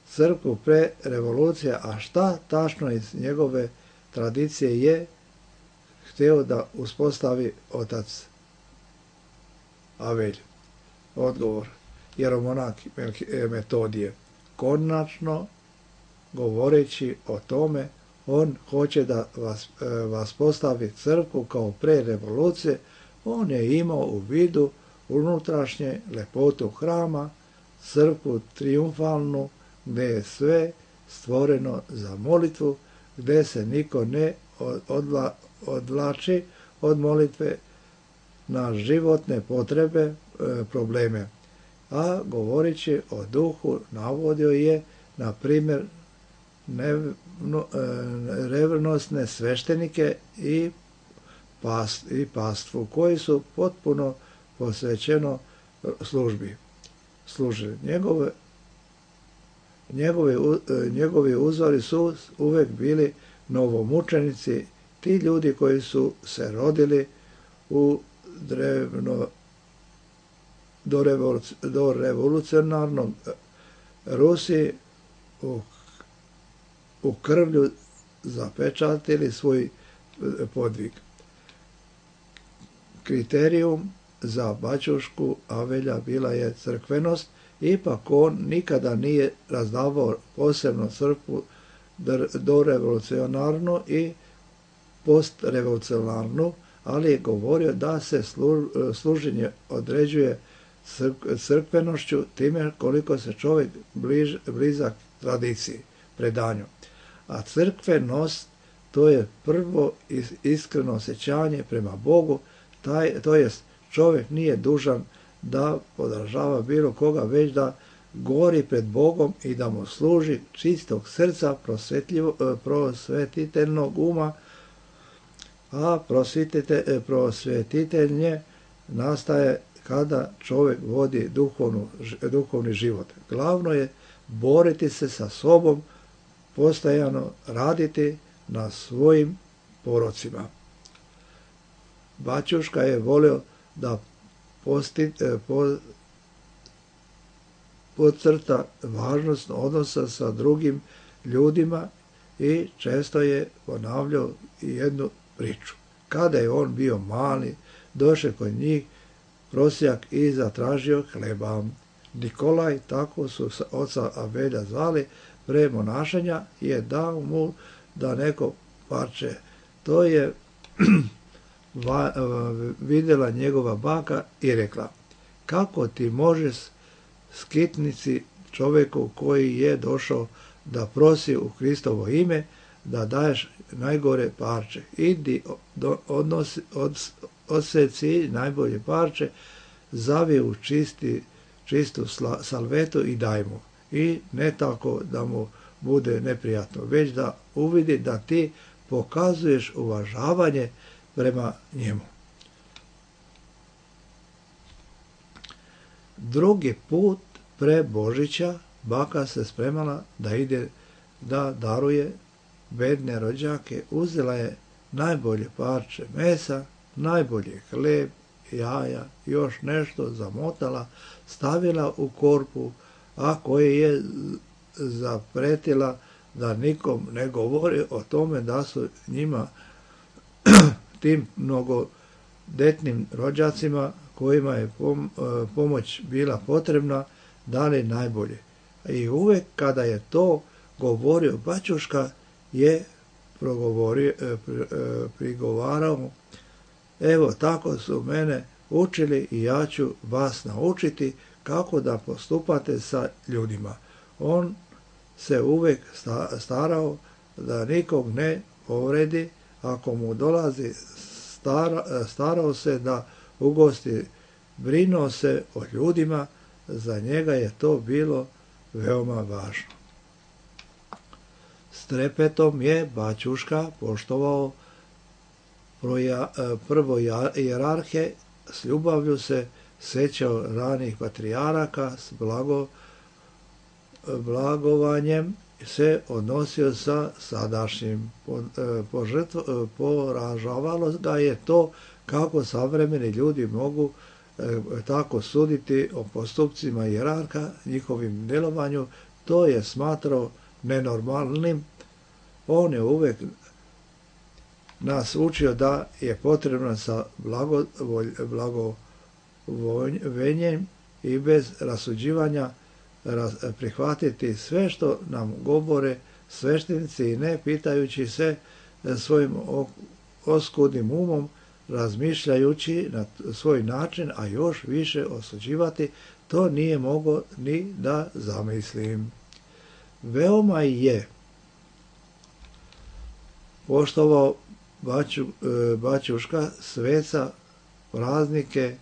crkvu pre revolucije, a šta tačno iz njegove tradicije je hteo da uspostavi otac Avelj? Odgovor. Jeromonah Metodije. Konačno, govoreći o tome, on hoće da vas, vas postavi crkvu kao pre revolucije. On je imao u vidu unutrašnje lepotu hrama, crkvu triumfalnu, gdje je sve stvoreno za molitvu, gdje se niko ne odla, odvlači od molitve na životne potrebe, e, probleme. A govoreći o duhu, navodio je, na primjer, nevno, e, revnosne sveštenike i, past, i pastvu, koji su potpuno posvećeno službi služili. Njegove Njegovi, njegovi uzori su uvek bili novomučenici, ti ljudi koji su se rodili u drevno, do, revoluci, do revolucionarnog Rusi u, u krvlju zapečatili svoj podvig. Kriterijum za bačušku Avelja bila je crkvenost, ipak on nikada nije razdavao posebno crkvu dorevolucionarnu i postrevolucionarnu, ali je govorio da se služenje određuje crkvenošću time koliko se čovjek bliž, blizak tradiciji, predanju. A crkvenost to je prvo iskreno osjećanje prema Bogu, taj, to jest čovjek nije dužan da podržava bilo koga, već da gori pred Bogom i da mu služi čistog srca, prosvetiteljnog uma, a prosvetitelj nastaje kada čovjek vodi duhovnu, duhovni život. Glavno je boriti se sa sobom, postajano raditi na svojim porocima. Bačuška je volio da posti, po, podcrta važnost odnosa sa drugim ljudima i često je ponavljao jednu priču. Kada je on bio mali, došao kod njih prosjak i zatražio hleba. Nikolaj, tako su oca Avelja zvali, pre monašenja, je dao mu da neko parče. To je va, vidjela njegova baka i rekla: kako ti možeš skitnici čovjeku koji je došao da prosi u Kristovo ime, da daješ najgore parče. Idi, do, odnosi, od, odseci najbolje parče, zavi u čisti, čistu sla, salvetu i daj mu. I ne tako da mu bude neprijatno, već da uvidi da ti pokazuješ uvažavanje prema njemu. Drugi put pre Božića baka se spremala da ide da daruje bedne rođake. Uzela je najbolje parče mesa, najbolje hleb, jaja, još nešto zamotala, stavila u korpu, a koje je zapretila da nikom ne govori o tome da su njima tim mnogodetnim rođacima kojima je pomoć bila potrebna, dali najbolje. I uvek kada je to govorio bačuška, je progovorio, prigovarao: evo, tako su mene učili i ja ću vas naučiti kako da postupate sa ljudima. On se uvek starao da nikog ne povredi, ako mu dolazi, stara, starao se da ugosti, brinuo se o ljudima, za njega je to bilo veoma važno. S trepetom je bačuška poštovao proja, prvo hijerarhe, s ljubavlju se sećao ranih patrijaraka, s blago, blagovanjem se odnosio sa sadašnjim. Poražavalo ga je to kako savremeni ljudi mogu e, tako suditi o postupcima hijerarha, njihovim djelovanju. To je smatrao nenormalnim. On je uvijek nas učio da je potrebno sa blagovoljenjem i bez rasuđivanja prihvatiti sve što nam govore sveštenici i ne pitajući se svojim oskudnim umom, razmišljajući na svoj način, a još više osuđivati, to nije mogao ni da zamislim. Veoma je poštovao baču, bačuška sveca, praznike,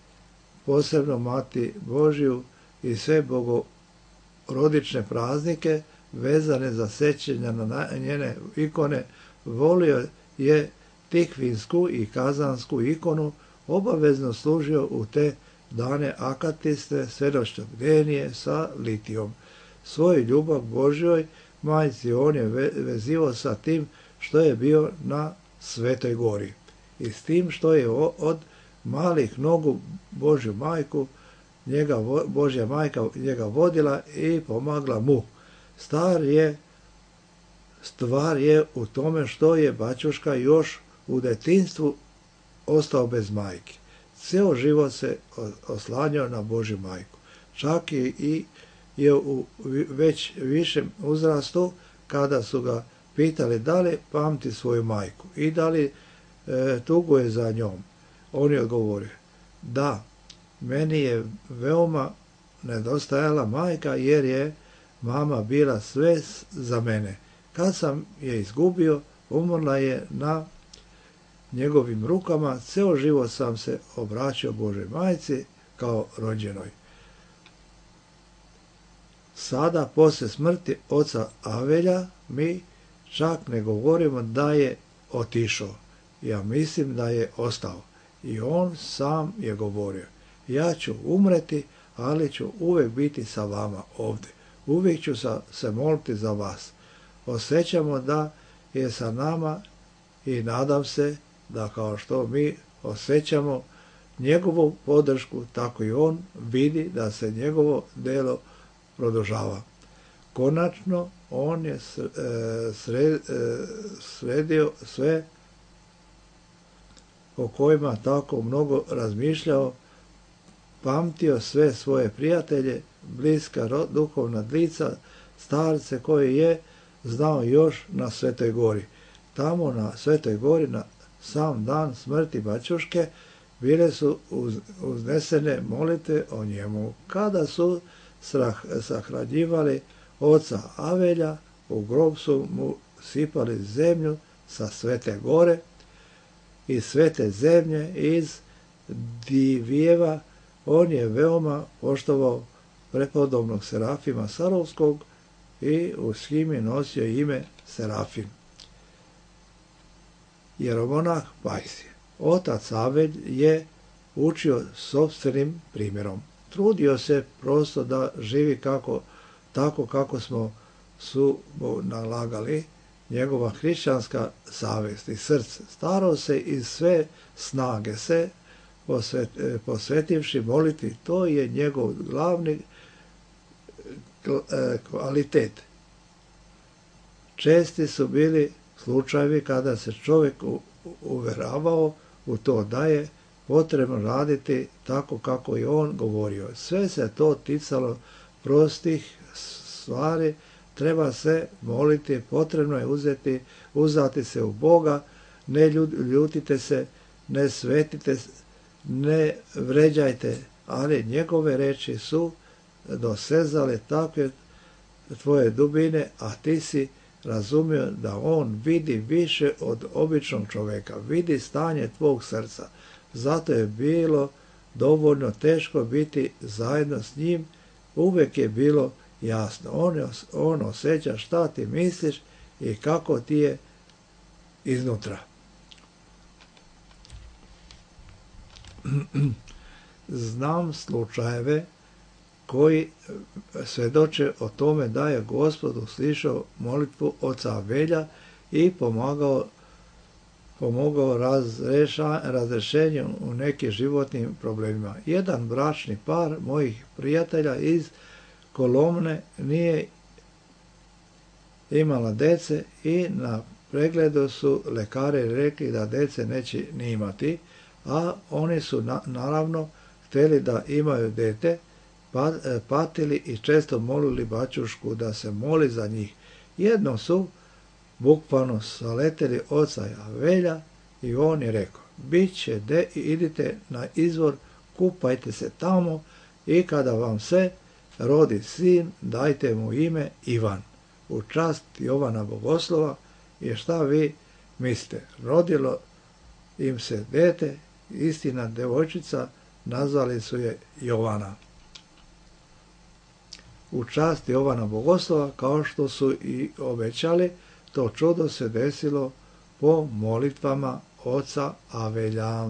posebno Mati Božju i sve bogorodične praznike vezane za sećanja na njene ikone. Volio je tikvinsku i kazansku ikonu, obavezno služio u te dane akatiste, svedočnog bdenije sa litijom. Svoju ljubav Božjoj majci on je vezivao sa tim što je bio na Svetoj gori i s tim što je od malih nogu Božju majku njega Božja majka njega vodila i pomagla mu. Star je, stvar je u tome što je bačuška još u detinjstvu ostao bez majke. Ceo život se oslanjao na Božju majku. Čak i je u već višem uzrastu, kada su ga pitali da li pamti svoju majku i da li e, tuguje za njom, on je odgovorio: da, meni je veoma nedostajala majka, jer je mama bila sve za mene. Kad sam je izgubio, umrla je na njegovim rukama. Ceo život sam se obraćao Božoj majci kao rođenoj. Sada, poslije smrti oca Avelja, mi čak ne govorimo da je otišao. Ja mislim da je ostao. I on sam je govorio: ja ću umreti, ali ću uvijek biti sa vama ovdje. Uvijek ću se moliti za vas. Osjećamo da je sa nama i nadam se da kao što mi osjećamo njegovu podršku, tako i on vidi da se njegovo delo produžava. Konačno, on je sredio sve o kojima tako mnogo razmišljao, pamtio sve svoje prijatelje, bliska duhovna lica, starce koje je znao još na Svetoj gori. Tamo na Svetoj gori, na sam dan smrti bačuške, bile su uz, uznesene molitve o njemu. Kada su sahranjivali oca Avelja, u grob su mu sipali zemlju sa Svete gore i svete zemlje iz Divijeva. On je veoma poštovao prepodobnog Serafima Sarovskog i u shimi nosio ime Serafim. Jeromonah Pajsije. Otac Avelj je učio sopstvenim primjerom. Trudio se prosto da živi kako, tako kako smo su mu nalagali njegova hrišćanska savjest i srce. Starao se iz sve snage se posvet, posvetivši moliti. To je njegov glavni kvalitet. Česti su bili slučajevi kada se čovjek uveravao u to da je potrebno raditi tako kako je on govorio. Sve se to ticalo prostih stvari, treba se moliti, potrebno je uzeti, uzati se u Boga, ne ljutite se, ne svetite, ne vređajte, ali njegove reči su dosezale takve tvoje dubine, a ti si razumio da on vidi više od običnog čovjeka, vidi stanje tvog srca. Zato je bilo dovoljno teško biti zajedno s njim, uvijek je bilo jasno. On, je, on osjeća šta ti misliš i kako ti je iznutra. Znam slučajeve koji svjedoče o tome da je Gospod uslišao molitvu oca Avelja i pomagao, pomogao razreša, razrešenju u nekim životnim problemima. Jedan bračni par mojih prijatelja iz Kolomne nije imala dece i na pregledu su lekari rekli da dece neće ni imati, a oni su na, naravno htjeli da imaju dete, patili i često molili bačušku da se moli za njih. Jednom su bukvalno saleteli oca Avelja i on je rekao: bit će de, idite na izvor, kupajte se tamo i kada vam se rodi sin, dajte mu ime Ivan, u čast Jovana Bogoslova. I šta vi mislite? Rodilo im se dete, istina devojčica, nazvali su je Jovana. U čast Jovana Bogoslova, kao što su i obećali, to čudo se desilo po molitvama oca Avelja.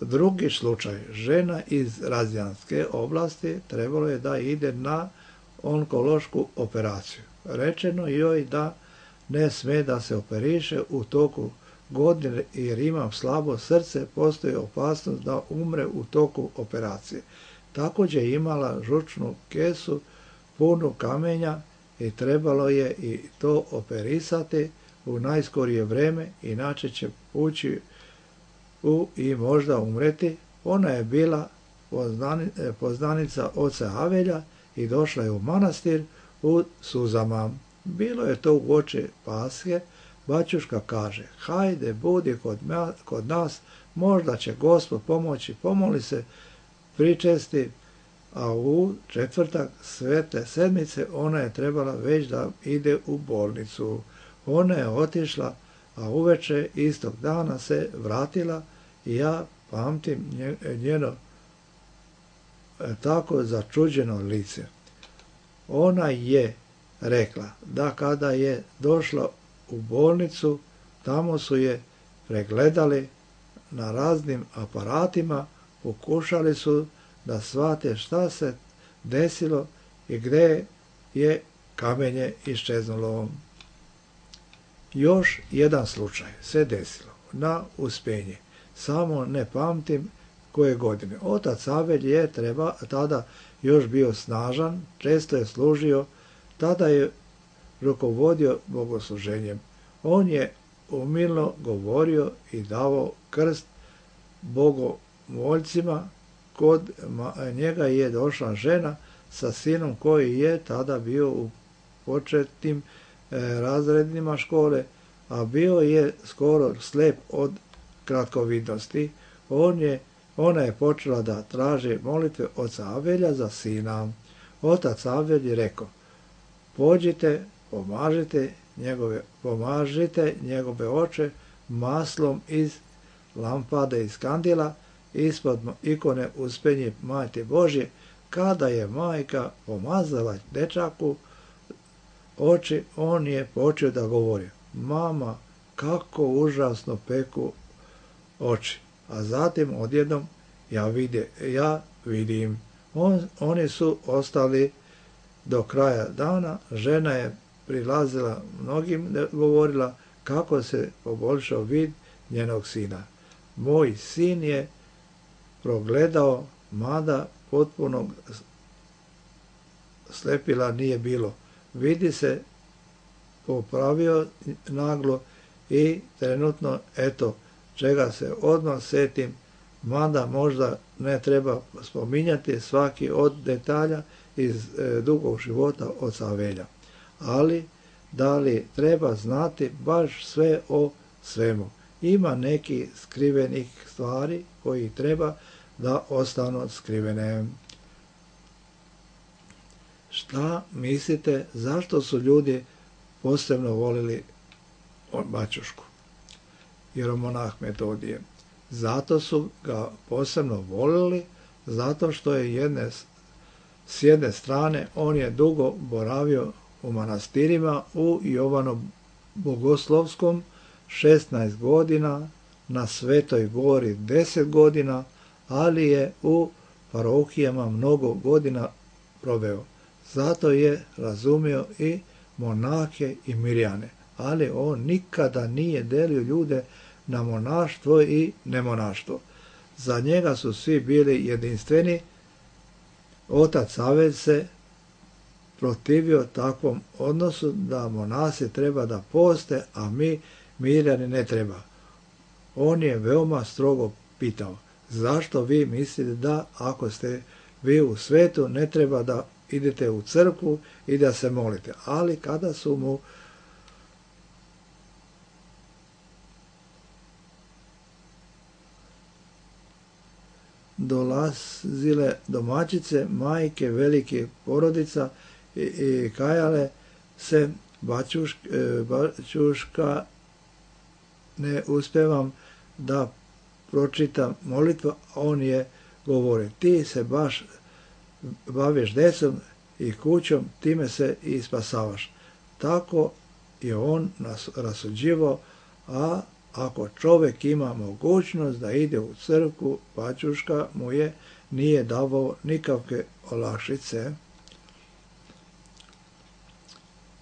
Drugi slučaj, žena iz Razjanske oblasti trebalo je da ide na onkološku operaciju. Rečeno joj da ne sme da se operiše u toku godine jer imam slabo srce, postoji opasnost da umre u toku operacije. Također je imala žučnu kesu punu kamenja i trebalo je i to operisati u najskorije vreme, inače će ući u i možda umreti. Ona je bila poznanica oca Avelja i došla je u manastir u suzama. Bilo je to uoči Paske. Bačuška kaže, hajde, budi kod, kod nas, možda će Gospod pomoći, pomoli se pričesti, a u četvrtak svete sedmice ona je trebala već da ide u bolnicu. Ona je otišla, a uveče istog dana se vratila i ja pamtim njeno tako začuđeno lice. Ona je rekla da kada je došla u bolnicu, tamo su je pregledali na raznim aparatima, pokušali su da shvate šta se desilo i gdje je kamenje iščeznulo. Još jedan slučaj se desilo na Uspenje, samo ne pamtim koje godine. Otac Avelj je treba, tada još bio snažan, često je služio, tada je rukovodio bogosluženjem. On je umilno govorio i davao krst bogomoljcima. Kod njega je došla žena sa sinom koji je tada bio u početnim razredima škole, a bio je skoro slep od kratkovidnosti. On je, ona je počela da traži molitve oca Avelja za sina. Otac Avelj je rekao, pođite, pomažite njegove, pomažite njegove oče maslom iz lampade iz kandila, ispod ikone Uspenje Majke Božje. Kada je majka pomazala dečaku oči, on je počeo da govori, mama, kako užasno peku oči. A zatim odjednom ja, vide, ja vidim. On, oni su ostali do kraja dana. Žena je prilazila mnogim, govorila kako se poboljšao vid njenog sina. Moj sin je progledao, mada potpunog slepila nije bilo. Vidi se, popravio naglo i trenutno, eto, čega se odmah setim, mada možda ne treba spominjati svaki od detalja iz e, dugog života oca Avelja. Ali, da li treba znati baš sve o svemu? Ima neki skrivenih stvari koji treba da ostanu skrivene. Šta mislite, zašto su ljudi posebno volili Bačušku, jeromonah Metodije? Zato su ga posebno volili, zato što je jedne, s jedne strane on je dugo boravio u manastirima, u Jovanom Bogoslovskom šesnaest godina, na Svetoj Gori deset godina, ali je u parohijama mnogo godina proveo. Zato je razumio i monahe i mirjane, ali on nikada nije delio ljude na monaštvo i nemonaštvo. Za njega su svi bili jedinstveni. Otac Avelj se protivio takvom odnosu da monasi treba da poste, a mi mirjani ne treba. On je veoma strogo pitao, zašto vi mislite da ako ste vi u svetu ne treba da idete u crkvu i da se molite. Ali kada su mu dolazile domaćice, majke velike porodica i, i kajale se, Bačuška, Bačuška ne uspevam da pročitam molitvu, on je govori, ti se baš baviš decom i kućom, time se i spasavaš. Tako je on nas rasuđivao, a ako čovjek ima mogućnost da ide u crkvu, Bačuška mu je nije davao nikakve olakšice.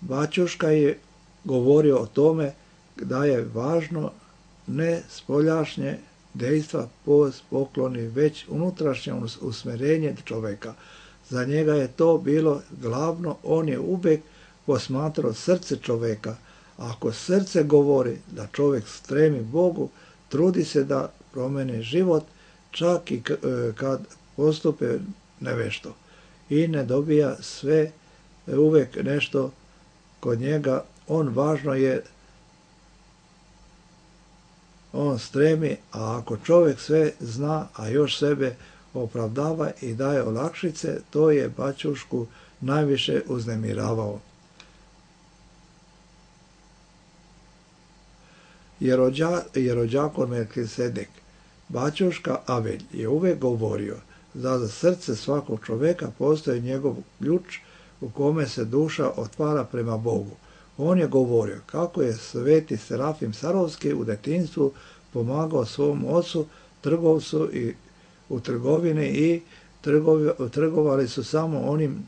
Bačuška je govorio o tome da je važno ne spoljašnje dejstva, pokloni, već unutrašnje usmjerenje čovjeka. Za njega je to bilo glavno, on je uvijek posmatrao srce čovjeka. Ako srce govori da čovjek stremi Bogu, trudi se da promeni život, čak i kad postupe nevešto. I ne dobija sve, uvijek nešto kod njega. On važno je, on stremi, a ako čovjek sve zna, a još sebe opravdava i daje olakšice, to je bačušku najviše uznemiravao. Jerođakon Melkisedek, bačuška Avelj, je uvijek govorio da za srce svakog čovjeka postoji njegov ključ u kome se duša otvara prema Bogu. On je govorio kako je sveti Serafim Sarovski u detinjstvu pomagao svom ocu, trgovcu i u trgovini i trgovi, trgovali su samo onim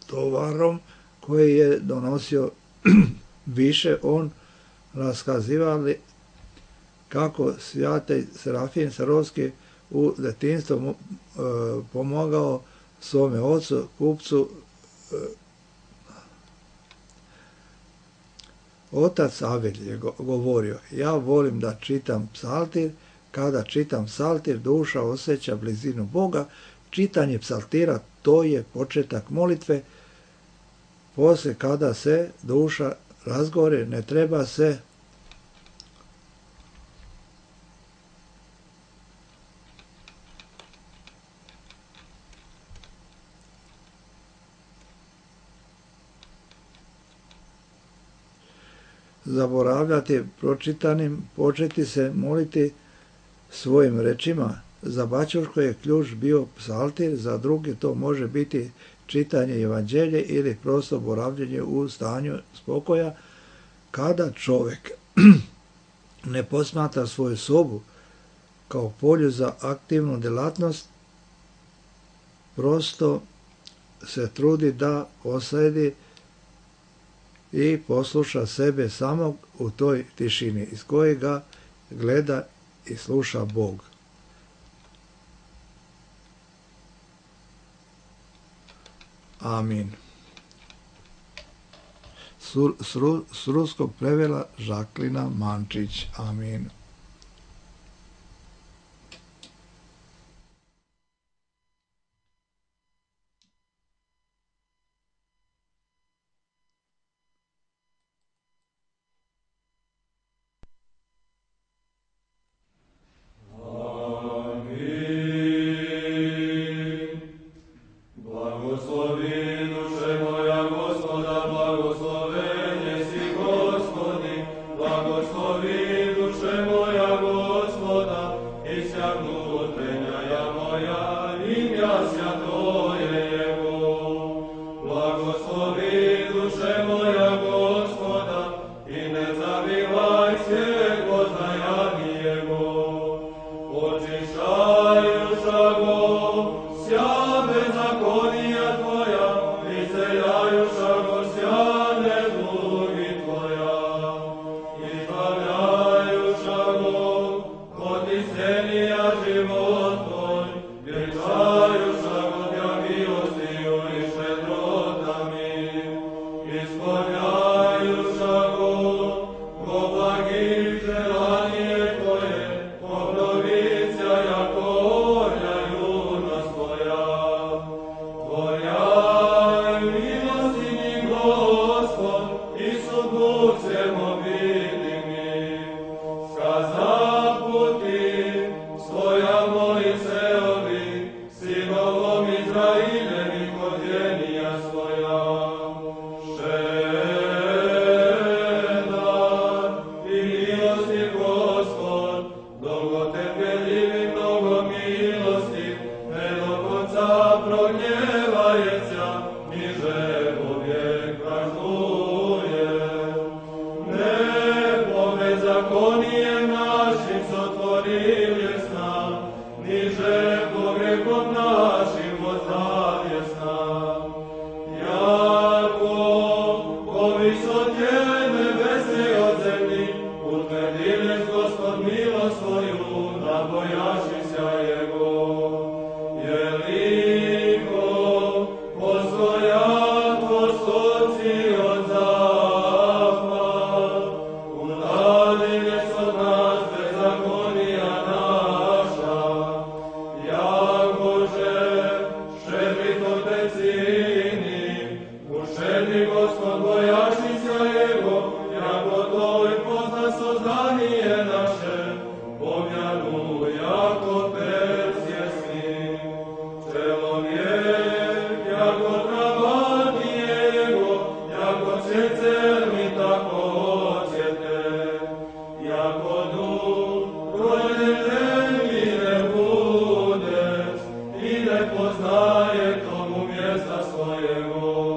tovarom koji je donosio više. On raskazivali kako svjatej Serafim Sarovski u detinjstvu e, pomagao svome ocu, kupcu. E, Otac Avelj je govorio, ja volim da čitam psaltir, kada čitam psaltir duša osjeća blizinu Boga, čitanje psaltira to je početak molitve, poslije kada se duša razgore ne treba se zaboravljati pročitanim, početi se moliti svojim rečima. Za bačušku je ključ bio psaltir, za drugi to može biti čitanje evanđelje ili prosto boravljenje u stanju spokoja. Kada čovjek ne posmatra svoju sobu kao polju za aktivnu djelatnost, prosto se trudi da osjedi i posluša sebe samog u toj tišini iz koje ga gleda i sluša Bog. Amin. S ruskog prevela Žaklina Mančić. Amin. Amen. Všedni Gospod bojašnica Jego, jako to i pozna sozdanje naše, pomjanu jako persjesni. Čelovjek, jako trabati Jego, jako cjecer mi tako ocijete, jako duh, roditelj mi ne bude, i ne poznaje tomu mjesta svojego.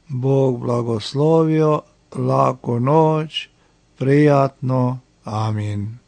Bog blagoslovio, laku noć, prijatno, amin.